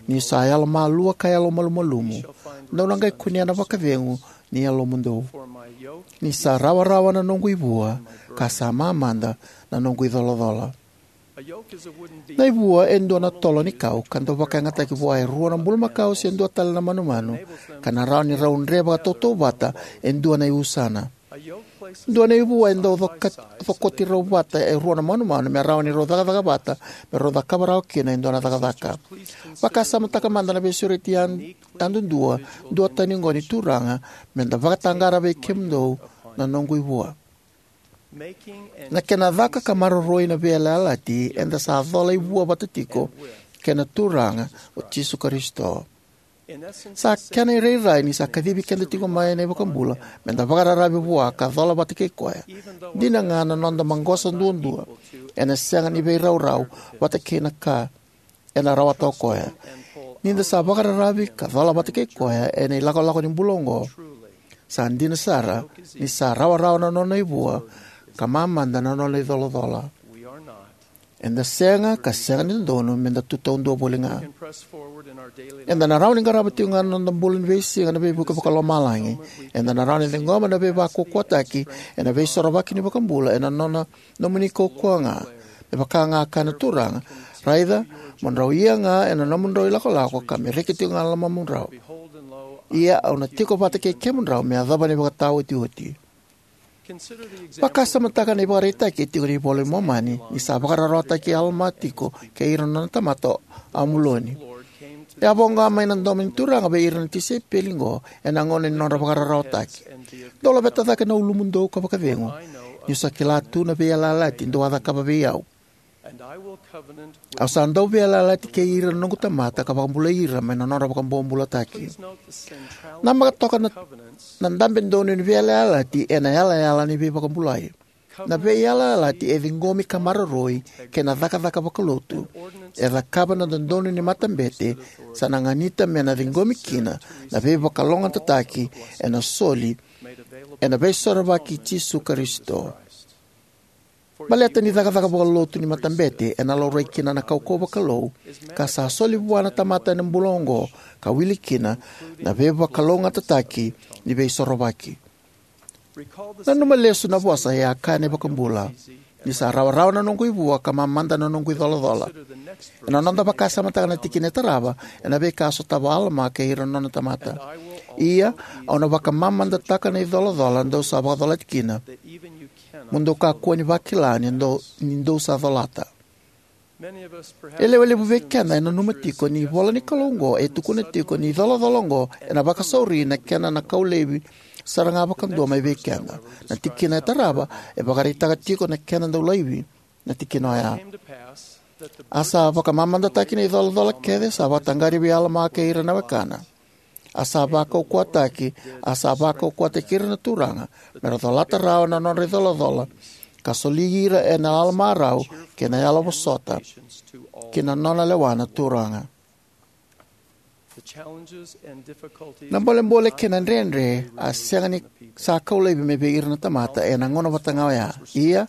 niu sa yalomalua ka yalomalumalumu. Dou na qai kunea na vakacegu ni yalomudou. Ni sa rawarawa na noqu ivua, ka sa mamada na noqu icolacola." Na ivua e dua na tolo ni kau ka dau vakayagataki vua e rua na bulumakau se dua tale na manumanu, ka na rawa ni rau dre vakatautauvata e dua na iusana. Dua na ivua e dau coka-, cokoti rau vata e rua na manumanu me rawa ni rau cakacaka vata, me rau cakava rawa kina e dua na cakacaka. Vakasamataka mada na veisureti yad-, yadudua duatani oqo ni Turaga, me da vakataqara vei kemudou na noqu ivua. Na kena caka ka maroroi na veiyalayalati, eda sa cola ivua vata tiko kei na Turaga o Jisu Karisito. Sa kena irairai ni sa kacivi keda tiko mai na iVakabula me da vakararavi vua ka cola vata kei koya. Dina ga na noda maqosa duadua ena sega ni veiraurau vata kei na ka ena rawata o koya. Ni da sa vakararavi ka cola vata kei koya ena ilakolako ni bula oqo, sa dina sara ni sa rawarawa na nona ivua ka mamada na nona icolacola. Eda sega ka sega ni dodonu me da tu taudua voli ga. Eda na rawa ni qarava tiko ga na noda bula ni veisiga na veivuke vakalomalagi. Eda na rawa ni ciqoma na veivakaukauwataki ena veisorovaki ni vakabula ena nona nomuni kaukauwa ga. Me vaka ga kaya na Turaga, raica, mo drau ia ga ena nomudrau ilakolako ka me reki tiko ga na lomamudrau. Ia au na tiko vata kei kemudrau me yacova na ivakataotioti. Vakasamataka na ivakaraitaki e tiko ena iVola i Momani ni sa vakararawataki Alama tiko kei ira na nona tamata o Amuloni. E a voqa mai na domo ni Turaga vei ira na tisaipeli oqo ena gauna ni nodra vakararawataki. Dou laveta cake na ulumudou ka vakacegu, niu sa kila tu na veiyalayalati dou a cakava vei au. Au sa dau veiyalayalati kei ira na noqu tamata ka vakabulai ira mai na nodra vakabobulataki. Namaka toka na, na dabe donu ni veiyalayalati ena yalayala ni veivakabulai. Na veiyalayalati e ciqomi ka maroroi kei na cakacaka vakalotu e cakava na dodonu ni matabete, sa na ganita me na ciqomi kina na veivakalougatataki ena soli ena veisorovaki i Jisu Karisito. Baleta ni cakacaka vakalotu ni matabete ena laurai kina na kaukauwa vakalou ka sa soli vua na tamata ena bula oqo, ka wili kina na veivakalougatataki ni veisorovaki. Nanuma lesu na vosa e a kaya na iVakabula: "Ni sa rawarawa na noqu ivua ka mamada na noqu icolacola." Ena noda vakasamataka na tikina e tarava ena veika a sotava o Alama kei ira na nona tamata: "Ia, au na vakamamadataka na icolacola dou sa vakacolati kina, mo dou kakua ni vakila ni dou, ni dou sa colata." E lewe levu vei keda e nanuma tiko ni ivola ni Kalou oqo e tukuna tiko ni icolacola oqo ena vakasauri na kena na kau laivi sara ga vakadua mai vei keda. Na tikina e tarava e vakaraitaka tiko na kena dau laivi na tikina oya. A sa vakamamadataki na icolacola kece sa vakataqari vei Alama kei ira na wekana. A sa vakaukauwataki, a sa vakaukauwataki ira na Turaga me ra colata rawa na nodra icolacola, ka soli ira ena yalomarau kei na yalovosota ki na nona lewa na Turaga. Na bolebole kei na dredre a sega ni sa kau laivi mai vei ira na tamata ena gauna vata ga oya. Ia,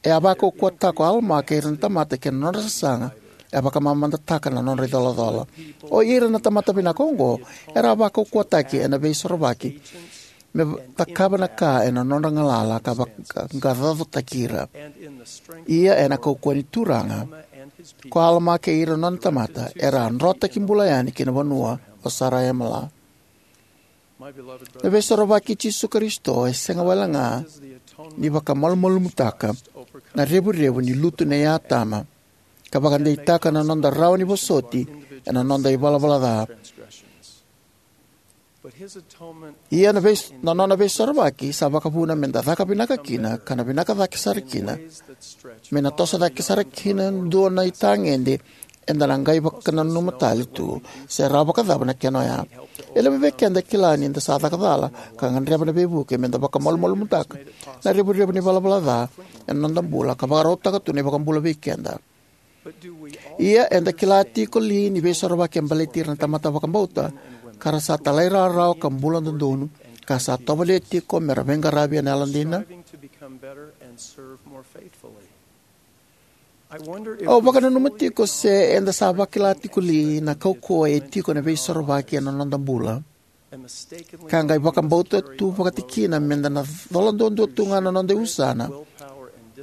e a vakaukauwataka o Alama kei ira na tamata kei na nodra sasaga, e a vakamamadataka na nodra icolacola. O ira na tamata vinaka oqo era a vakaukauwataki ena veisorovaki me cakava na ka ena nodra galala ka vakaqaqacotaki ira. Ia ena kaukauwa ni Turaga, ko Alama kei ira na nona tamata era a drotaki bula yani ki na vanua o Saraemala. Na veisorovaki i Jisu Karisito e sega wale ga ni vakamalumalumutaka na revurevu ni lutu nei Atama, ka vakadeitaka na noda rawa ni vosoti ena noda ivalavala ca. Ia na veis-, na nona veisorovaki sa vakavuna me da caka vinaka kina, ka na vinaka cake sara kina, me na toso cake sara kina dua na itagede eda na qai vakananuma tale tu se rawa vakacava na kena oya. E levu vei keda e kila ni da sa caka cala ka gadreva na veivuke me da vakamalumalumutaka na revurevu ni valavala ca ena noda bula ka vakarautaka tu na iVakabula vei keda. Ia, eda kila tiko li ni veisorovaki e baleti ira na tamata vakabauta ka ra sa talairawarawa ka bula dodonu, ka sa tovolea tiko me ra veiqaravi ena yalodina? Au vakananuma tiko se eda sa vakila tiko li na kaukauwa e tiko ena veisorovaki ena noda bula, ka qai vakabauta tu vakatikina me da na cola duadua tu ga na noda iusana,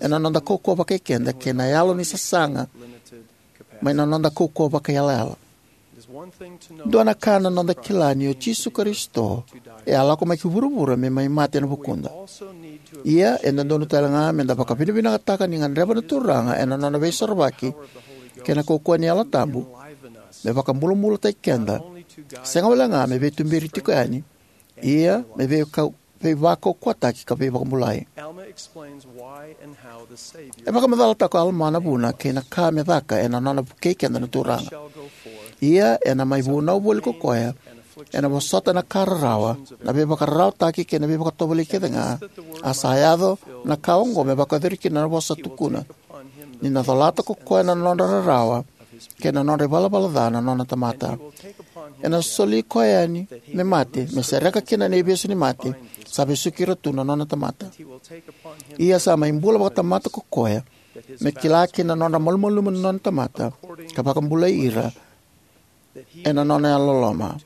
ena noda kaukauwa vakaikeda kei na yalo ni sasaga mai na noda kaukauwa vakaiyalayala. Dua na ka na noda kila ni o Jisu Karisito e a lako mai ki vuravura me mai mate ena vukuda. Ia e dodonu tale ga me da vakavinavinakataka ni gadreva na Turaga ena nona veisorovaki kei na kaukauwa ni Yalo Tabu me vakabulabulataki keda, sega wale ga me veituberi tiko yani, ia me veikau veivakaukauwataki ka veivakabulai. E vakamacalataka o Alama na vuna kei na ka me caka ena nona vukei keda na Turaga. Ia ena mai vunau voli ko koya, ena vosota na ka rarawa, na veivakararawataki kei na veivakatovolei kece ga, a sa yaco na ka oqo me vakayacori kina na vosa tukuna, ni na colata ko koya na nodra rarawa kei na nodra ivalavala ca na nona tamata. Ena soli koya yani me mate, me sereka kina na ivesu ni mate sa vesuki ira tu na nona tamata. Ia sa mai bula vakatamata ko koya, me kila kina na nodra malumalumu na nona tamata, ka vakabulai ira ena nona yalololoma.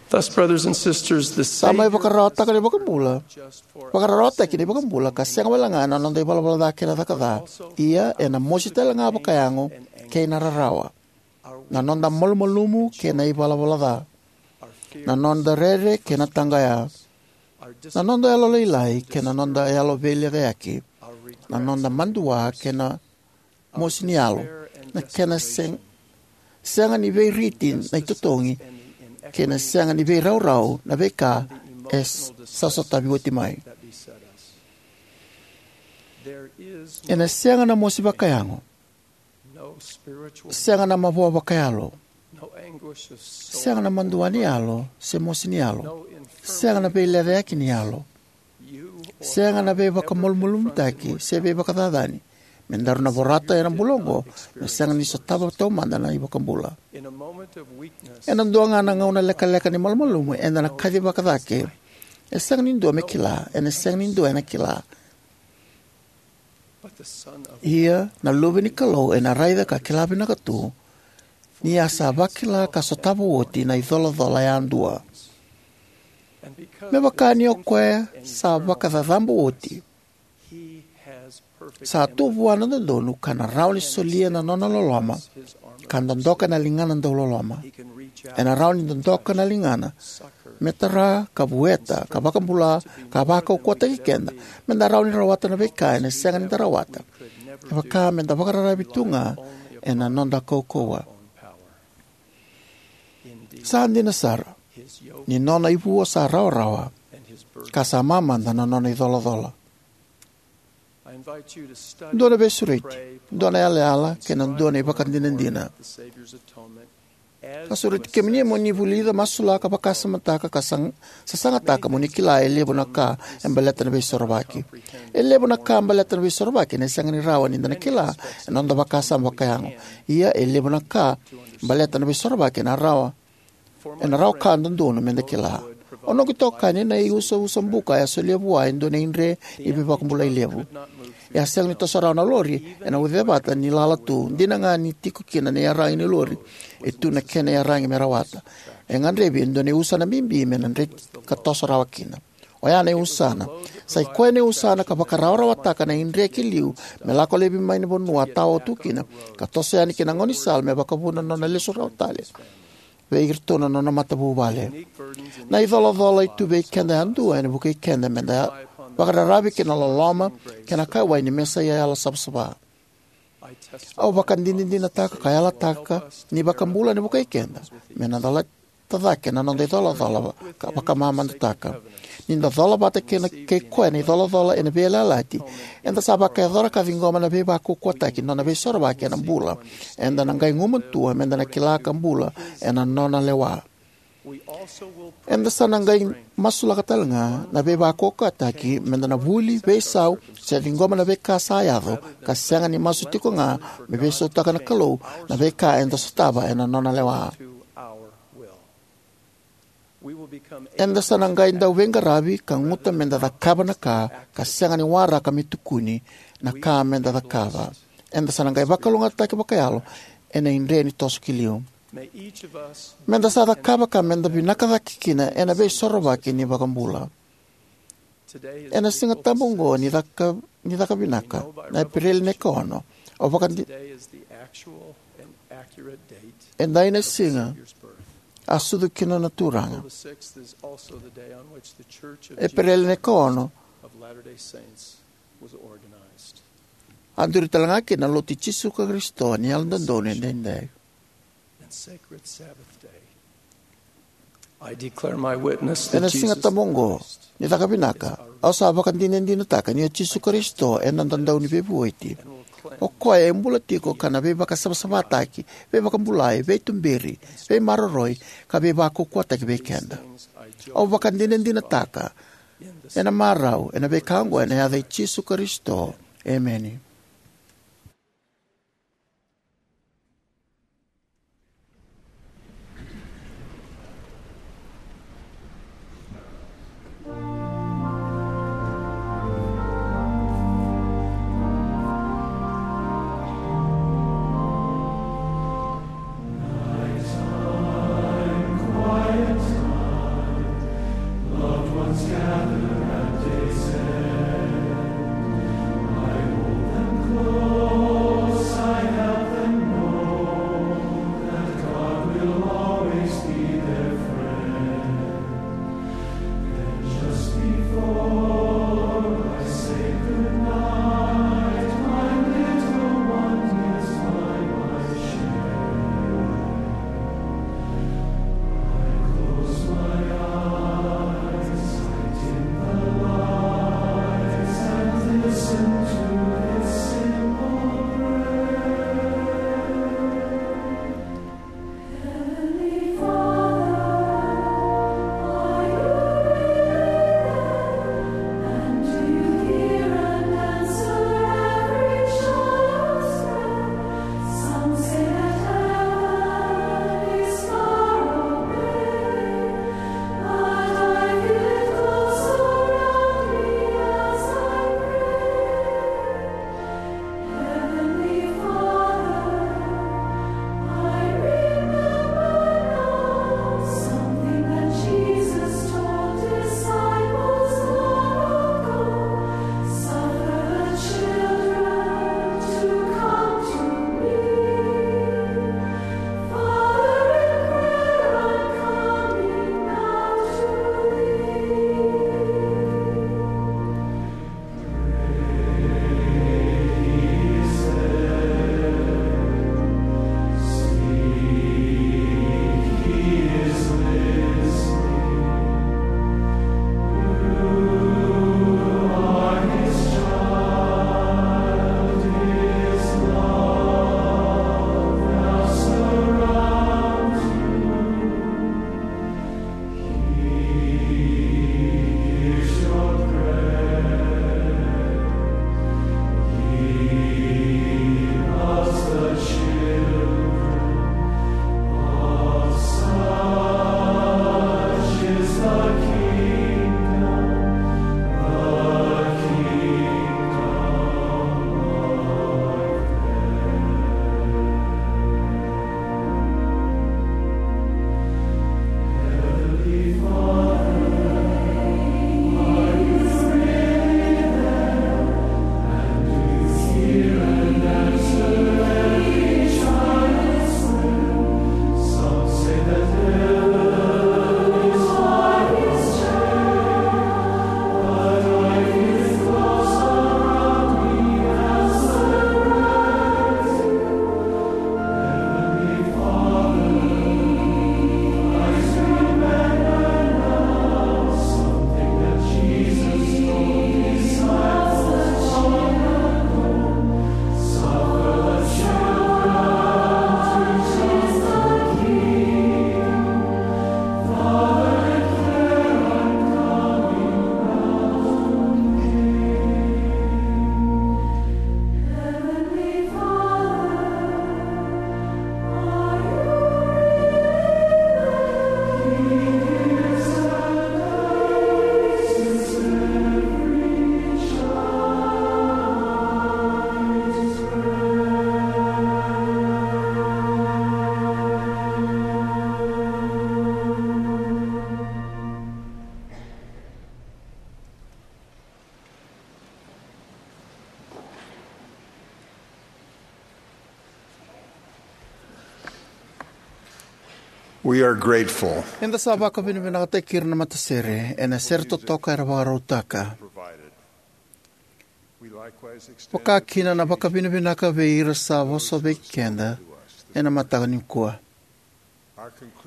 Sa mai vakararawataka na ivakabula, vakararawataki na ivakabula ka sega wale ga ena noda ivalavala ca kei na caka ca. Ia ena mosi tale ga vakayago kei na rarawa, na noda malumalumu kei na ivalavala ca, na noda rere kei na taqaya, na noda yalolailai kei na noda yalo veilecayaki, na noda madua kei na mosi ni yalo, na kena seg- sega ni veiriti na itotogi kei na sega ni veiraurau na veika e s- sa sotavi oti mai. Ena sega na mosi vakayago, sega na mavoa vakayalo, sega na madua ni yalo se mosi ni yalo, sega na veilecayaki ni yalo, sega na veivakamalumalumutaki se veivakacacani me daru na vorata ena bula oqo me sega ni sotava taumada na iVakabula. Ena dua ga na gauna lekaleka ni malumalumu eda na kacivaka cake. E sega ni dua me kila, ena sega ni dua ena kila. Ia na Luve ni Kalou ena raica ka kila vinaka tu ni a sa vakila ka sotava oti na icolacola yadua. Me vaka ni o koya sa vakacacabo oti, sa tu vua na dodonu ka na rawa ni solia na nona loloma ka dodoka na ligana dauloloma. Ena rawa ni dodoka na ligana me tara ka vueta ka vakabula ka vakaukauwataki keda me da rawa ni rawata na veika ena sega ni da rawata, e vaka me da vakararavi tu ga ena noda kaukauwa. Sa dina sara ni nona ivua sa rawarawa ka sa mamada na nona icolacola. Dua na veisureti, dua na yalayala kei na dua na ivakadinadina. Ka sureti kemuni mo ni vulica, masulaka, vakasamataka ka sag- sasagataka mo ni kila e levu na ka e baleta na Veisorovaki. E levu na ka baleta na Veisorovaki ena sega ni rawa ni da na kila ena noda vakasama vakayago. Ia e levu na ka baleta na Veisorovaki ena rawa ena rawa ka dodonu me da kila. O noqu itokani na iusausa buka e a solia vua e dua na idre ni veivakabulai levu. E a sega ni toso rawa na lori ena ucevata ni lala tu, dina ga ni tiko kina na iyaragi ni lori e tu na kena iyaragi me rawata. E gadrevi e dua na iusana bibi me na dreti ka toso rawa kina. Oya na iusana. Sa i koya na iusana ka vakarawarawataka na idre ki liu me lako laivi mai na vanua a tao tu kina, ka toso yani ki na gaunisala me vakavuna na nona lesu rawa tale vei iratou na nona matavuvale. Na icolacola e tu vei keda yadua ena vukei keda me da vakararavi ki na loloma kei na kauwai ni Mesaia yalosavasava. Au vakadinadinataka ka yalataka ni iVakabula ena vukei keda me na calata cake na noda icolacola ka vakamamadataka. Ni da cola vata kei na, kei koya na icolacola ena veiyalayalati, eda sa vakayacora ka ciqoma na veivakaukauwataki ni nona Veisorovaki ena bula. Eda na qai gumatua me da na kila ka bula ena nona lewa. Eda sa na qai masulaka tale ga na veivakaukauwataki me da na vuli, veisau, se ciqoma na veika sa yaco, ka sega ni masu tiko ga me veisautaka na Kalou na veika eda sotava ena nona lewa. Eda sa na qai dau veiqaravi ka guta me da cakava na ka ka sega ni waraka me tukuni na ka me da cakava. Eda sa na qai vakalougatataki vakayalo ena idre ni toso ki liu. Meda sa cakava ka meda vinaka cake kina ena veisorovaki ni vakabula. Ena Siga Tabu oqo ni caka, ni caka vinaka, na Epereli na ikaono, o vakadi, edai na siga a sucu kina na Turaga. Epereli na ikaono a duri tale ga kina na Lotu i Jisu Karisito ni Yalododonu Edaidai. Ena Siga Tabu oqo ni caka vinaka, au sa vakadinadinataka ni o Jisu Karisito e noda Dauniveivueti. O koya e bula tiko ka na veivakasavasavataki, veivakabulai, veituberi, veimaroroi, ka veivakaukauwataki vei keda. Au vakadinadinataka ena marau ena veika oqo ena yaca i Jisu Karisito. Emeni. We are grateful. Eda sa vakavinavinakataki ira na matasere ena sere totoka era vakarautaka. Vakakina na vakavinavinaka vei ira sa vosa vei keda ena mataka nikua.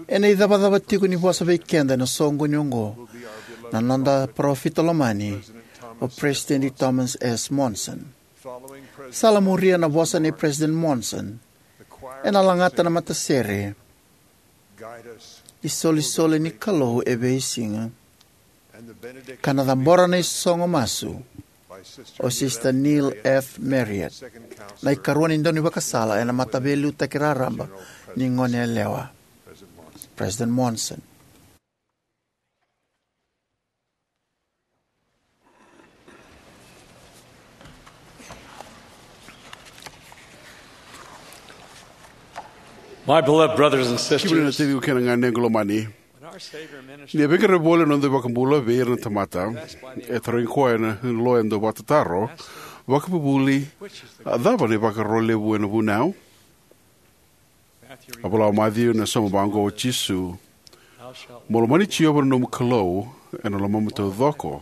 Ena icavacava tiko ni vosa vei keda ena soqoni oqo na noda parofita lomani, o President Thomas S. Monson. Salamuria na vosa nei President Monson, ena lagata na matasere isolisoli ni Kalou e veisiga, ka na cabora na isogo masu o Sister Neil F. Marriott, na ikarua ni daunivakasala ena Mataveiliutaki Raraba ni Goneyalewa. President Monson. My beloved brothers and sisters, kemuni na taciqu kei na ganequ lomani, when our Savior ministered, ni a veiqaravi voli na noda iVakabula vei ira na tamata, e tarogi koya na loya dau vakatataro, vakavuvuli, a cava na ivakaro levu ena vunau? A vola o Maciu ena sauma vaqo o Jisu: "Mo lomani Jiova na nomu Kalou ena lomamu taucoko,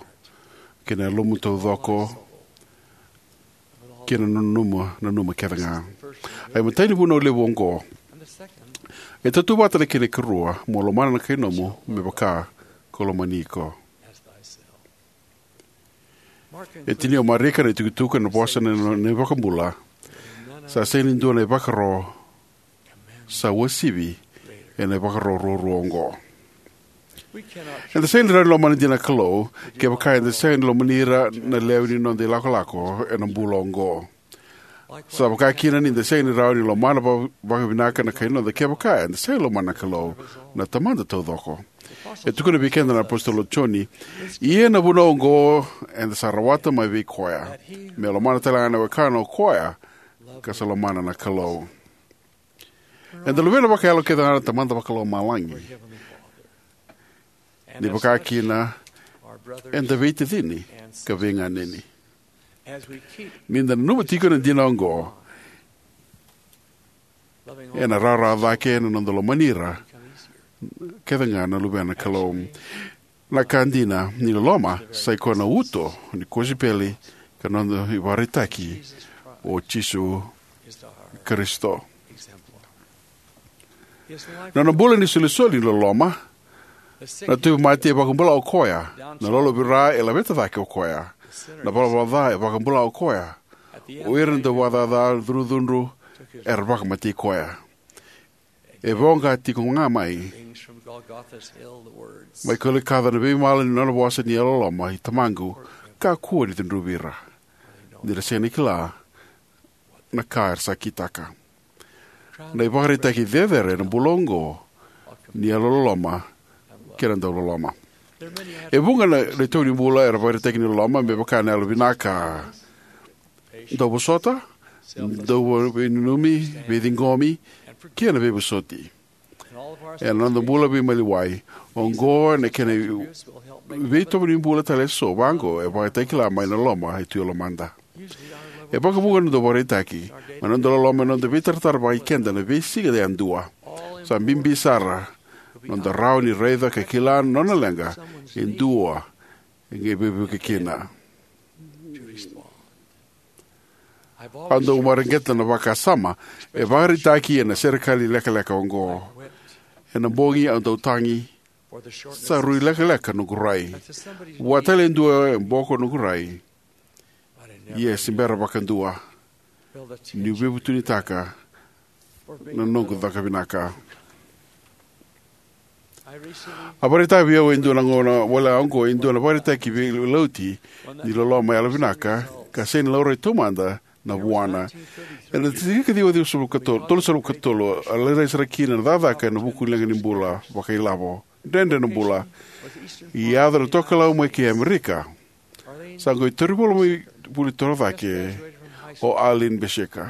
kei na yalomu taucoko, kei na nomu nanuma kece ga." A imatai ni vunau levu oqo. E tautauvata na kena ikarua: "Mo lomana na kai nomu me vaka ko lomani iko." E tinia o Marika na itukutuku ena vosa na, na, na iVakabula: "Sa sega ni dua na ivakaro sa uasivi ena ivakaro ruarua oqo." Eda sega ni rawa ni lomana dina na Kalou kevaka eda sega ni lomani ira na lewe ni noda ilakolako ena bula oqo. Sa vaka kina ni da sega ni rawa ni lomana va-, vakavinaka na kai noda kevaka eda sega ni lomana na Kalou, na Tamada taucoko. E tukuna vei keda na iApositolo o Joni: "Ia na vunau oqo eda sa rawata mai vei koya, me lomana tale ga na wekana o koya ka sa lomana na Kalou." Eda luvena vakayalo kece ga na Tamada Vakalomalagi. Ni vaka kina, eda veitacini ka veiganeni. Ni da nanuma tiko na dina oqo, ena rawarawa cake na noda lomani ira kece ga na luvena na Kalou. Na ka dina, ni loloma sa i koya na uto ni kosipeli ka noda ivakaraitaki o Jisu Karisito. Na nona bula ni solisoli ni loloma. Na tauvimate e vakabula o koya, na lolovira e laveta cake o koya, na valavala ca e vakabula o koya, o ira na dauvakacaca cudrucudru era vakamatei koya. E voqa tiko ga mai, mai Kolikoca na veimala ni nona vosa ni yalololoma: "I Tamaqu, kakua ni cudruvi ira, ni ra sega ni kila na ka era sa kitaka." Na ivakaraitaki cecere ena bula oqo ni yalololoma kei na dauloloma. E vuqa na, na itovo ni bula era vakaraitaki ni loloma, me vaka na yalovinaka, dauvosota, dauveinanumi, veiciqomi, kei na veivosoti. Ena noda bula veimaliwai oqo, ena kena veitovo ni bula tale eso vaqo, e vakaraitaki kila mai na loma e tu e lomada. E vakavuqa na noda ivakaraitaki, mai na noda loloma, ena noda veitaratara vakaikeda ena veisiga yadua. Sa bibi sara na noda rawa ni raica ka kila na nona leqa e dua e qai veivuke kina. Au dau mareqeta na vakasama e vakaraitaki ena serekali lekaleka oqo. Ena bogi au dau tagi, sa rui lekaleka noqu rai. Vua tale e dua e boko noqu rai. Ia se bera vakadua niu veivutunitaka na noqu caka vinaka. A vakaraitaka vei au e dua na gauna wale oqo e dua na vakaraitaki veilauti ni loloma yalovinaka, ka sega ni laurai taumada na vuana. Ena tikina ka ciwa, ciwa sulu ka tolu, tolu sulu ka tolu, a lairai sara kina na cakacaka ena vuku ni leqa ni bula vakailavo. Dredre na bula. Yaco na tokalau mai kei Amerika. Sa qai tauri voli mai vuli torocake o Arlene Bashika.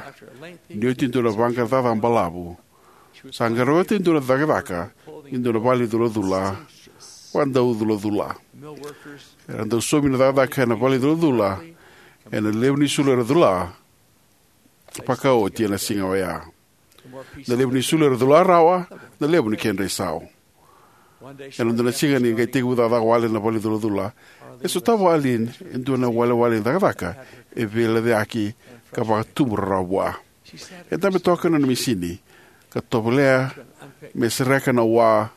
Ni oti e dua na vaqaqacotaki balavu, sa qarauna e dua na cakacaka e dua na vale ni culacula, vakadauculacula. Era dau saumi na cakacaka ena vale ni culacula ena levu ni sulu era cula vakaoti ena siga oya. Na levu ni sulu era cula rawa, na levu ni kedra isau. Ena dua na siga ni qai tekivu cakacaka wale na vale ni culacula, e sotava o Arlene e dua na iwalewale ni cakacaka e veilecayaki ka vakatubu rarawa vua. E dabe toka ena nona misini ka tovolea me sereka na wa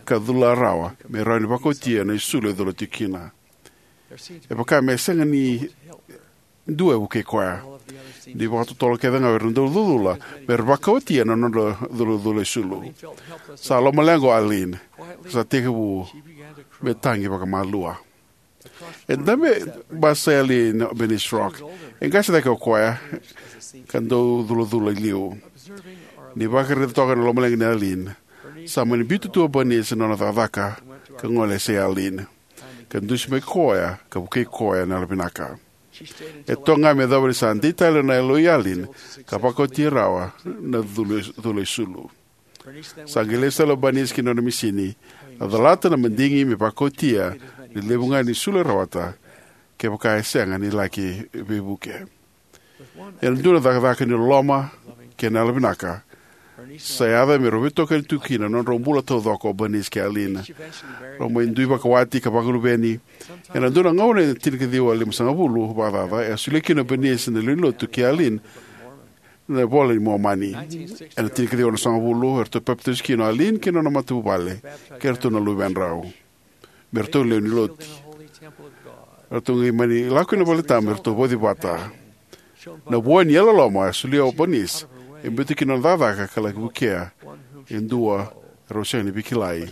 ka cula rawa me rawa ni vakaotia na isulu e cula tiko kina. E vaka me sega ni dua e vukei koya. Ni vakatotolo kece ga o ira na dau culacula me ra vakaotia na nodra culacula isulu. Sa lomaleqa o Arlene, sa tekivu me tagi vakamalua. E dabe basai o Arlene o Bernice Rock. E qase cake o koya ka dau culacula i liu. Ni vakaraica toka na lomaleqa nei Arlene, sa mani biuta tu o Bernice ena nona cakacaka ka gole e sei Arlene, ka dusi mai koya ka vukei koya ena yalovinaka. E toka ga me yacova ni sa dei tale na yaloi Arlene ka vakaotia rawa na cula, cula isulu. Sa qai lesu tale o Bernice ki na nona misini, a calata na madigi me vakaotia na levu ga ni sulu e rawata, kevaka e sega ni laki veivuke. Ena dua na cakacaka ni loloma kei na yalovinaka, sa yaco me rau veitokani tu kina na nodrau bula taucoko o Bernice kei Arlene. Rau mai dui vakawati ka vakaluveni. Ena dua na gauna ena tinikaciwa limasagavulu vakacaca, e a solia kina o Bernice na lewe ni lotu kei Arlene na iVola i Momani. Ena tinikaciwa onosagavulu, eratou papitaiso kina o Arlene kei na nona matavuvale kei iratou na luvedrau me ratou lewe ni lotu. Eratou qai mani lako ki na valetabu me ratou vauci vata. Na vua ni yalololoma e solia o Bernice e biuta kina na nona cakacaka ka laki vukea e dua rau sega ni veikilai,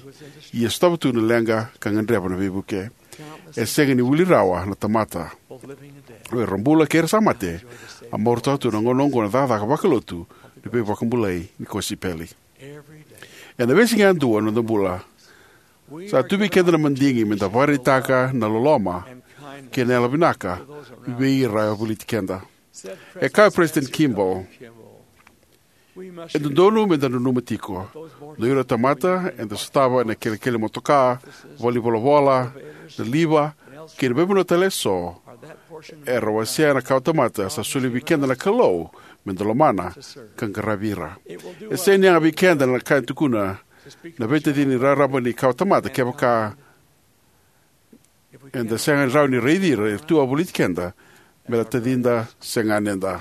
ia sotava tu na leqa ka gadreva na veivuke. E sega ni wili rawa na tamata, o ira bula kei ira sa mate, a marautaka tu na gauna oqo na cakacaka vakalotu ni veivakabulai ni kosipeli. Ena veisiga yadua ena noda bula, sa tu vei keda na madigi me da vakaraitaka na loloma kei na yalovinaka vei ira e voliti keda. E kaya o President Kimball, e dodonu me da nanuma tiko, na ira tamata eda sotava ena kelekele motoka, valenivolavola, na liva, kei na veivanua tale eso, era wasea na kawatamata sa solia vei keda na Kalou me da lomana ka qaravi ira. E sega ni yaga vei keda na ka e tukuna na veitacini raraba ni kawatamata kevaka eda sega ni rawa ni raici ira era tu wavoliti keda me ra tacida se ganeda.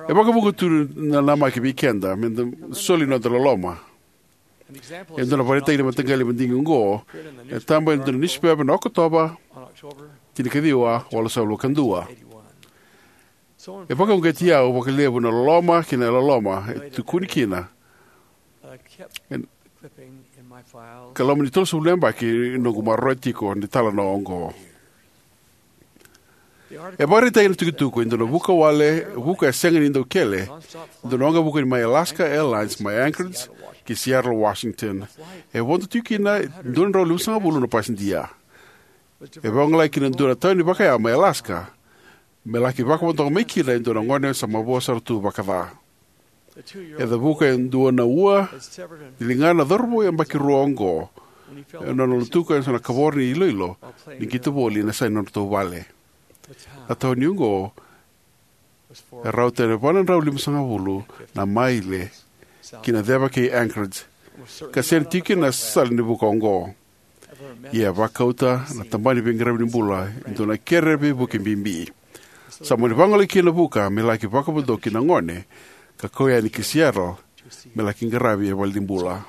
E vakavuqa tu na namaki vei keda me da soli noda loloma. E dua na vakaraitaki ni mataqali madigi oqo e taba ena dua na niusipepa ena Okotova tinikaciwa, walusagavulu ka dua. E vakauqeti au vakalevu na loloma kei na yalololoma e tukuni kina ena loma ni tolusagavulu na yabaki noqu maroroya tiko na italanoa oqo. E vakaraitaka na itukutuku e dua na vuka wale, vuka e sega ni dau kele, e dua na waqavuka ni mai Alaska Airlines mai Anchorage ki Seattle, Washington. E vodo tiko kina e dua na drau limasagavulu na pasidia. E vagolei kina e dua na tauni vakaya mai Alaska me laki vakavodoka mai kina e dua na gone sa mavoa sara tu vakaca. E cavuka e dua na ua ni ligana na cauravou yabaki rua oqo ena nona lutuka eso na kavoro ni iloilo ni qito voli ena yasa ni nodratou vale. Na tauni oqo e rauta ni va na drau limasagavulu na maile ki na ceva kei Anchorage, ka sega ni tiko kina na sala ni vuka oqo. Ia e vakauta na tabana ni veiqaravi ni bula e dua na kere veivuke bibi. Sa mani vagolei kina na vuka me laki vakavodoki na gone ka kau yani ki Seattle me laki qaravi e valenibula.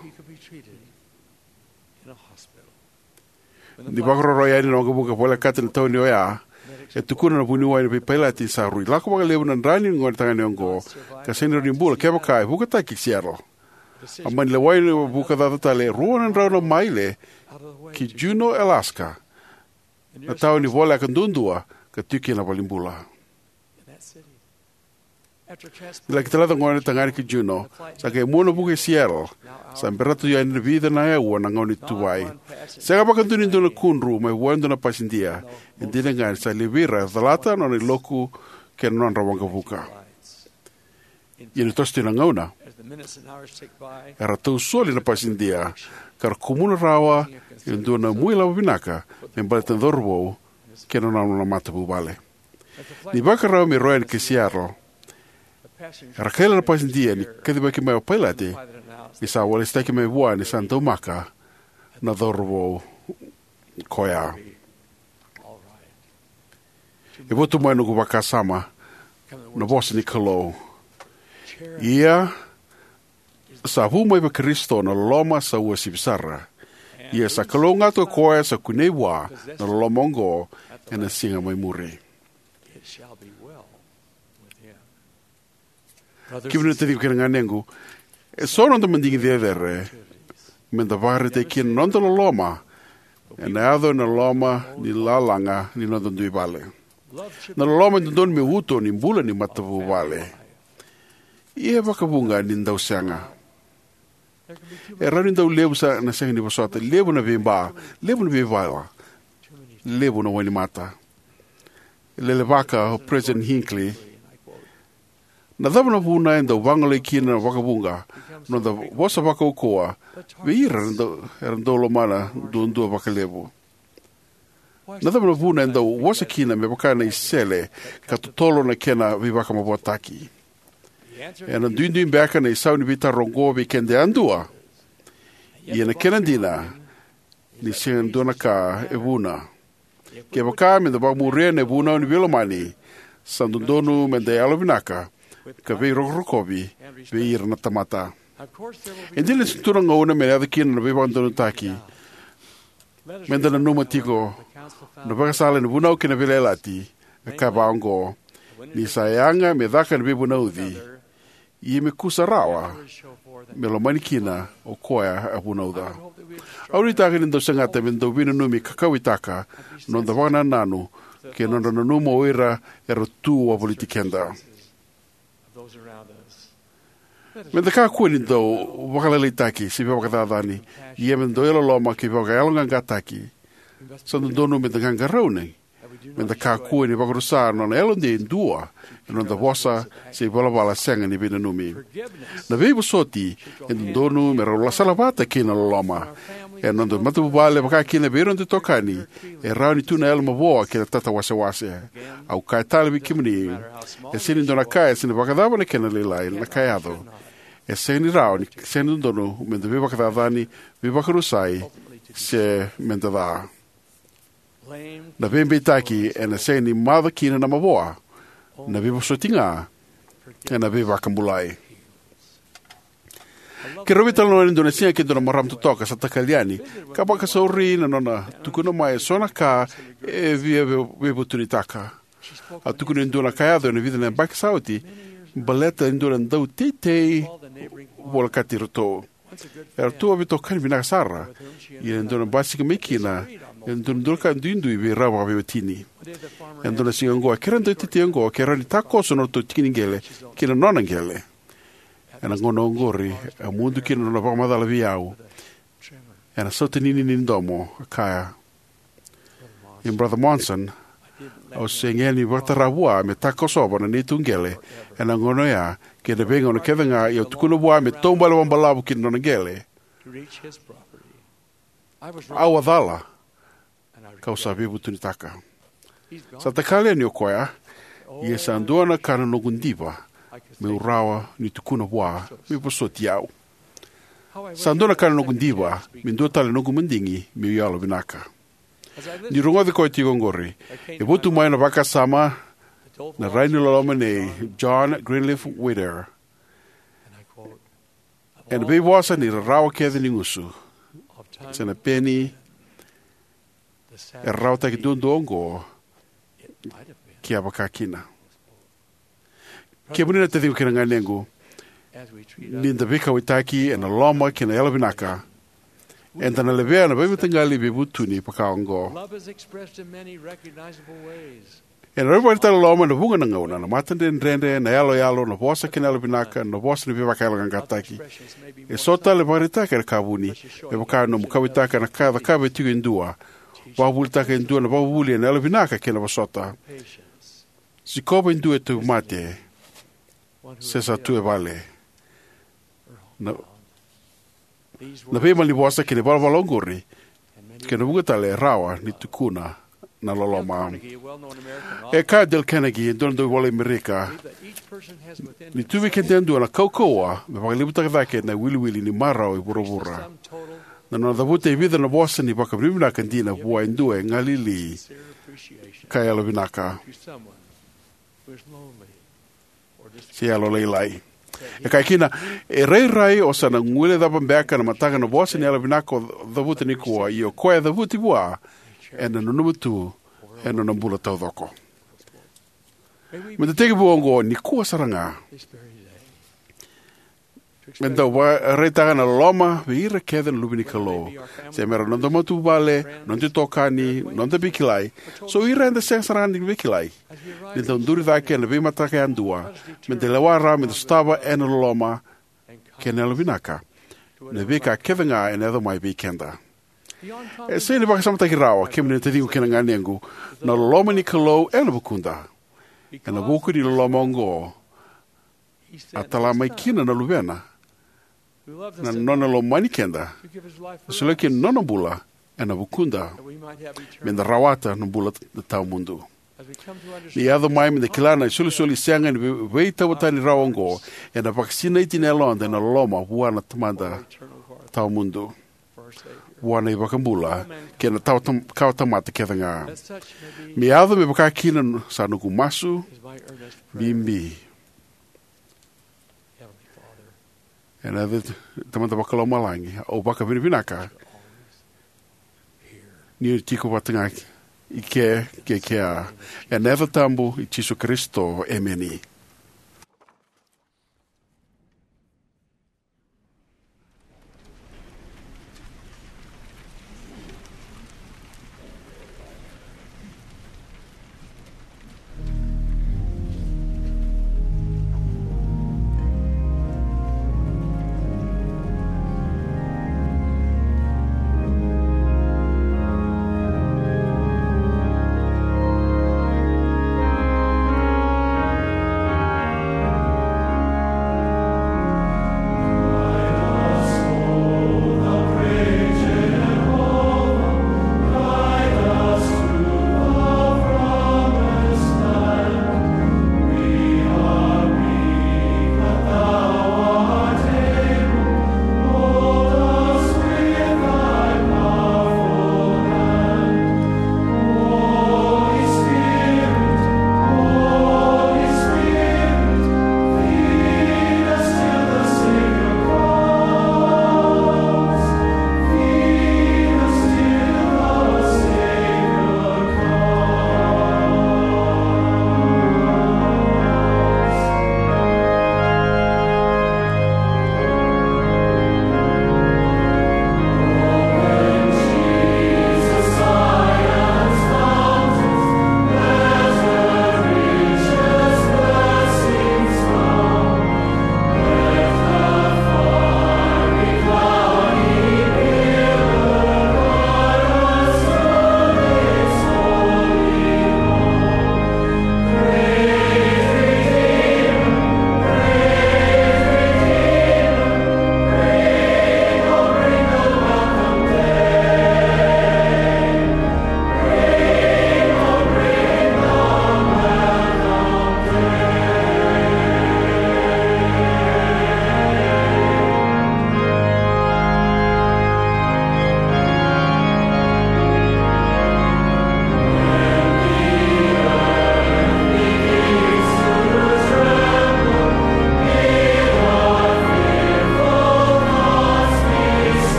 Ni vakaroroya yani na waqavuka volekata na tauni oya, e tukuna na vuniwai na veipailati sa rui lako vakalevu na dra ni gonetagane oqo ka sega ni rawa ni bula kevaka e vukataki ki Seattle. A mani lewai na vuka caca tale e rua na drau na maile ki Juneau, Alaska, na tauni voleka duadua ka tiko kina na valenibula. Ni laki talaca na gonetagane ki Juneau, sa qai mua na vuka i Seattle. Sa berata tu yani na vica na aua na gauna ni tuvai. Sega vakadua ni dua na kudru mai vua e dua na pasidia. E dina ga ni sa levu vei ira e calata na nona iloku kei na nodra waqavuka. Ia ni toso tu na gauna, era tausoli na pasidia ka ra kumuna rawa e dua na muailavo vinaka me baleta na cauravou kei na nona matavuvale. Ni vakarau me rau yani ki Seattle, era kaila na pasidia ni kacivaki mai o pailate ni sa walesitaki mai vua ni sa daumaka na cauravou koya. E votu mai noqu vakasama na vosa ni Kalou: Ia, sa vu mai vei Karisito na loloma sa uasivi sara. Ia sa kalougata ko koya sa kunei vua na loloma oqo ena siga mai muri. Kemuni na taciqu kei na ganequ, eso na noda madigi cecere me da vakaraitaki kina na noda loloma ena yaco ena loma ni lalaga ni noda dui vale. Na loloma e dodonu me uto ni bula ni matavuvale. Ia e vakavuqa ni dau sega. E rawa ni dau levu sa na sega ni vosota, levu na veiba, levu na veivala, levu na wainimata. E lelevaka o President Hinckley: Na cava na vuna e dau vagolei kina vakavuqa na noda vosa vakaukauwa vei ira era dau, era dau lomana duadua vakalevu? Na cava na vuna e dau vosa kina me vaka na isele ka totolo na kena veivakamavoataki? Ena duidui beka na isau ni veitaro oqo vei keda yadua? Ia na kena dina ni sega ni dua na ka e vuna. Kevaka me da vakamuria na ivunau ni veilomani, sa dodonu me da yalovinaka ka veirokorokovi vei ira na tamata. E dina ni sa tu na gauna me na yaco kina na veivakadodonutaki. Me da nanuma tiko na ivakasala ni Vunau kei na Veiyalayalati, e kaya vaqo: Ni sa yaga me caka na veivunauci, ia me kusa rawa me lomani kina o koya a vunauca. Au nuitaka ni dau segata me dau veinanumi ka kauwaitaka na noda vakanananu kei na nodra nanuma o ira era tu wavoliti keda. Me da kakua ni dau vakalailaitaki se veivakacacani, ia me da dau yalololoma kei vakayaloqaqataki. Sa dodonu me da qaqarauni, me da kakua ni vakarusa na nona yalodei e dua ena noda vosa se ivalavala sega ni veinanumi. Na veivosoti e dodonu me rau salavata kei na loloma. Ena noda matavuvale, vakakina vei ira noda itokani, e rawa ni tu na yalo mavoa kei na tatawasewase. Au kaya tale vei kemuni, e sega ni dua na ka, e sega ni vakacava na kena lailai na ka e yaco, e sega ni rawa ni, sega ni dodonu me da veivakacacani, veivakarusai, se me da ca. Na veibeitaki ena sega ni maca kina na mavoa. Na veivosoti ga ena veivakabulai. Keirau veitalanoa ena dua na siga kei dua na marama totoka sa takali yani, ka vakasauri na nona tukuna mai eso na ka e via vei-, veivutunitaka. A tukuna e dua na ka e yaco ena vica na yabaki sa oti baleta e dua na dauteitei volekati iratou. Eratou a veitokani vinaka sara, ia e dua na basika mai kina e dua na dua na ka duidui vei rau vakaveiwatini. Ena dua na siga oqo, a kerea na dauteitei oqo ke rawa ni takoso na nodratou tiki ni qele ki na nona qele. Ena gauna oqori, a mudu kina na nona vakamacala vei au ena sautaninini ni domo, a kaya: "I Brother Monson, au sega ni vakatara vua me takosova na neitou qele ena gauna oya kei na veigauna kece ga, ia au tukuna vua me taubale vakabalavu ki na nona qele. Au a cala, kau sa veivutunitaka. Sa takali yani o koya, ia sa dua na ka na noqu diva meu rawa ni tukuna vua me vosoti au. Sa dua na ka na noqu diva me dua tale na noqu madigi meu yalovinaka." Niu rogoci koya tiko oqori, e votu mai na vakasama, na rai ni loloma nei John Greenleaf Whittier. Ena veivosa ni rarawa kece ni gusu se na peni, e rarawataki duadua oqo, ke a vaka kina. Kemuni na taciqu kei na ganequ, ni da veikauwaitaki ena loma kei na yalovinaka, eda na levea na veimataqali veivutuni vaka oqo. Love is expressed in many recognizable ways. Ena veivakaraitaki loma ena vuqa na gauna, na matadredredre, na yaloyalo, na vosa kei na yalovinaka, na vosa ni veivakayaloqaqataki. Eso tale e vakaraitaka ena ka vuni, me vaka nomu kauwaitaka na ka e cakava e tiko e dua, vakavuvulitaka e dua na vakavuvuli ena yalovinaka kei na vosota, sikova e dua e tauvimate se sa tu e vale. Na, na veimalanivosa kei na ivalavala oqori kei na vuqa tale e rawa ni tukuna na loloma. E kaya o Dale Carnegie, e dua na dauvola Amerika, ni tu vei keda yadua na kaukauwa me vakalevutaka cake na iwiliwili ni marau e vuravura. Na nona cavuta e vica na vosa ni vakavinavinaka dina vua e dua e galili ka yalovinaka se yalolailai. E kaya kina, e rairai o sa na guilecava beka na mataka na vosa ni yalovinaka o cavuta nikua, ia o koya e cavuti vua ena nanuma tu ena nona bula taucoko. Me da tekivu oqo nikua sara ga. Me da vakaraitaka na loloma vei ira kece na luve ni Kalou. Se mera noda matavuvale, noda itokani, noda veikilai, se o ira eda sega sara ga ni veikilai. Ni da duri cake ena veimataka yadua, me da lewa rawa me da sotava ena loloma kei na yalovinaka na veika kece ga ena yaco mai vei keda. E sega ni vakasamataki rawa, kemuni na taciqu kei na ganequ, na loloma ni Kalou ena vukuda. Ena vuku ni loloma oqo a tala mai kina na Luvena, na nona lomani keda, a solia kina na nona bula ena vukuda, me da rawata na bula tawamudu. Ni yaco mai me da kila na isolisoli sega ni vei-, veitauvatani rawa oqo, ena vakasinaiti na yaloda ena loloma vua na Tamada tawamudu, vua na iVakabula kei na tawa tam-, kawa tamata kece ga. Me yaco me vaka kina sa noqu masu bibi. Ena yaca Tamada Vakalomalagi, au vakavinavinaka ni o tiko vata ga i ke, ke kea. Ena yaca tabu i Jisu Karisito, emeni.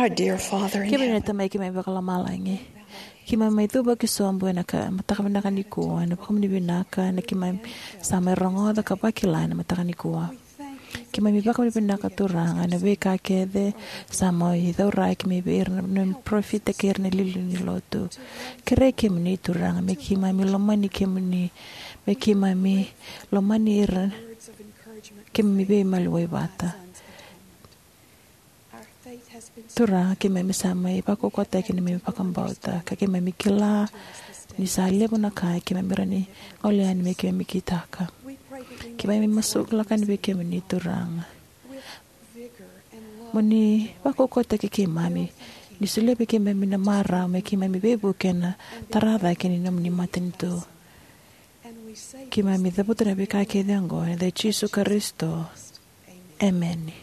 Our dear Father in Keimami na heaven, Tamai, keimami vakalomalagi. Keimami mai cuva ki sobu ena ka, mataka vinaka nikua, ena vakamuni vinaka, ena keimami sa mai rogoca ka vakila ena mataka nikua. Keimami vakamuni vinaka, Turaga, ena veika kece sa mai cauraki mai vei ira na parofita kei ira na iliuliu ni lotu. Kerei kemuni, Turaga, me keimami lomani kemuni, me keimami lomani ira, keimami veimaliwai vata. Turaga, keimami sa mai vakaukauwataki na neimami vakabauta, ka keimami kila ni sa levu na ka keimami rawa ni gole yani me keimami kitaka. Keimami masulaka yani vei kemuni, Turaga, mo ni vakaukauwataki keimami, ni solia vei keimami na marau me keimami veivuke ena tara cake ni nomuni matanitu. Keimami cavuta na veika kece oqo ena yaca i Jisu Karisito. Emeni.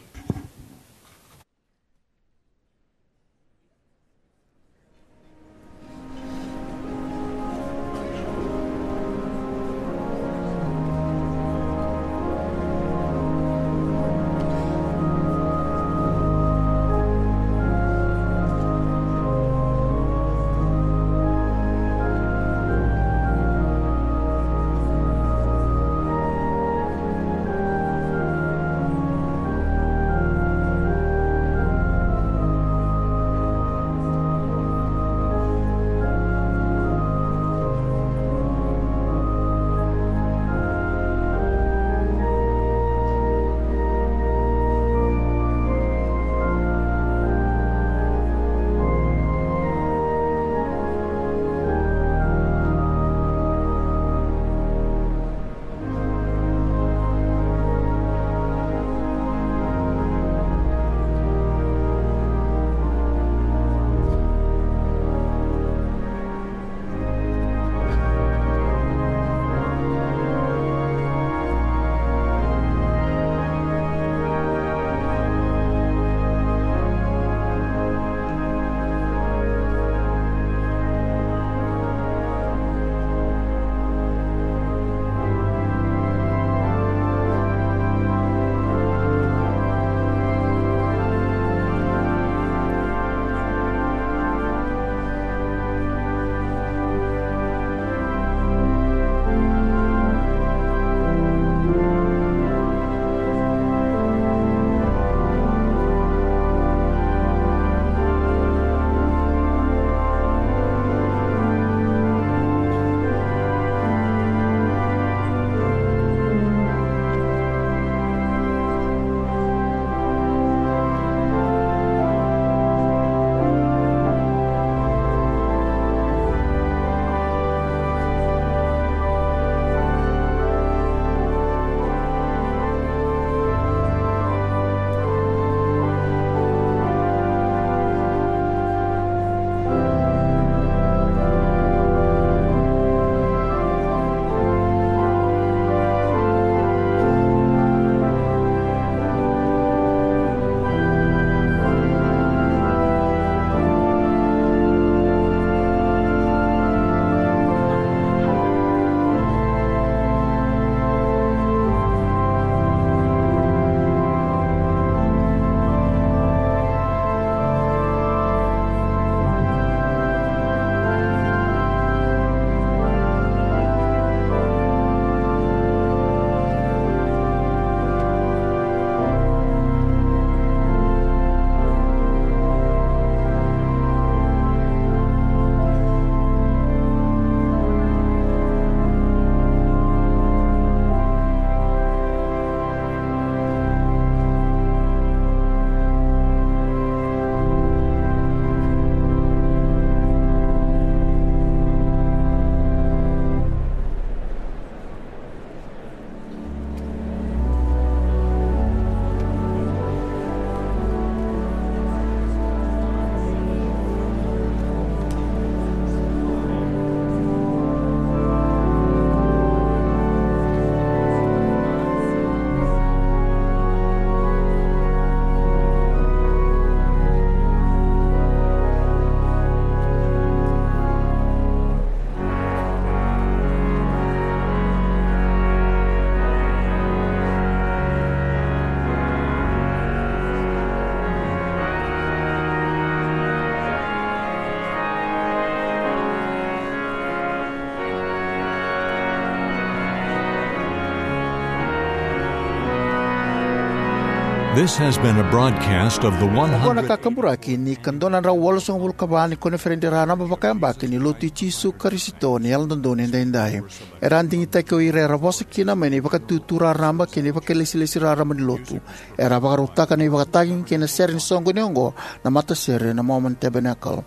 This has been a broadcast of the Oqo na one hundred. kakaburaki ni ka dua na drau walusagavulu ka va ni koniferedi raraba vakayabaki ni Lotu i Jisu Karisito ni Yalododonu Edaidai. Era a digitaki o ira era vosa kina mai na ivakatutu raraba kei na ivakalesilesi raraba ni Lotu. Era a vakarautaka na ivakatagi kei na sere ni soqoni oqo na matasere na Mormon Tabernacle.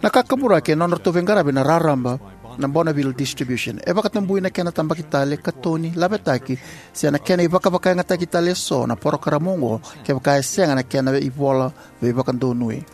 Na kakaburaki e nodratou veiqaravi na raraba na Bonneville Distribution. E vakatabui na kena tabaki tale, katoni, lavetaki se na kena ivakavakayagataki tale eso na porokaramu oqo kevaka e sega na kena ivola veivakadonui.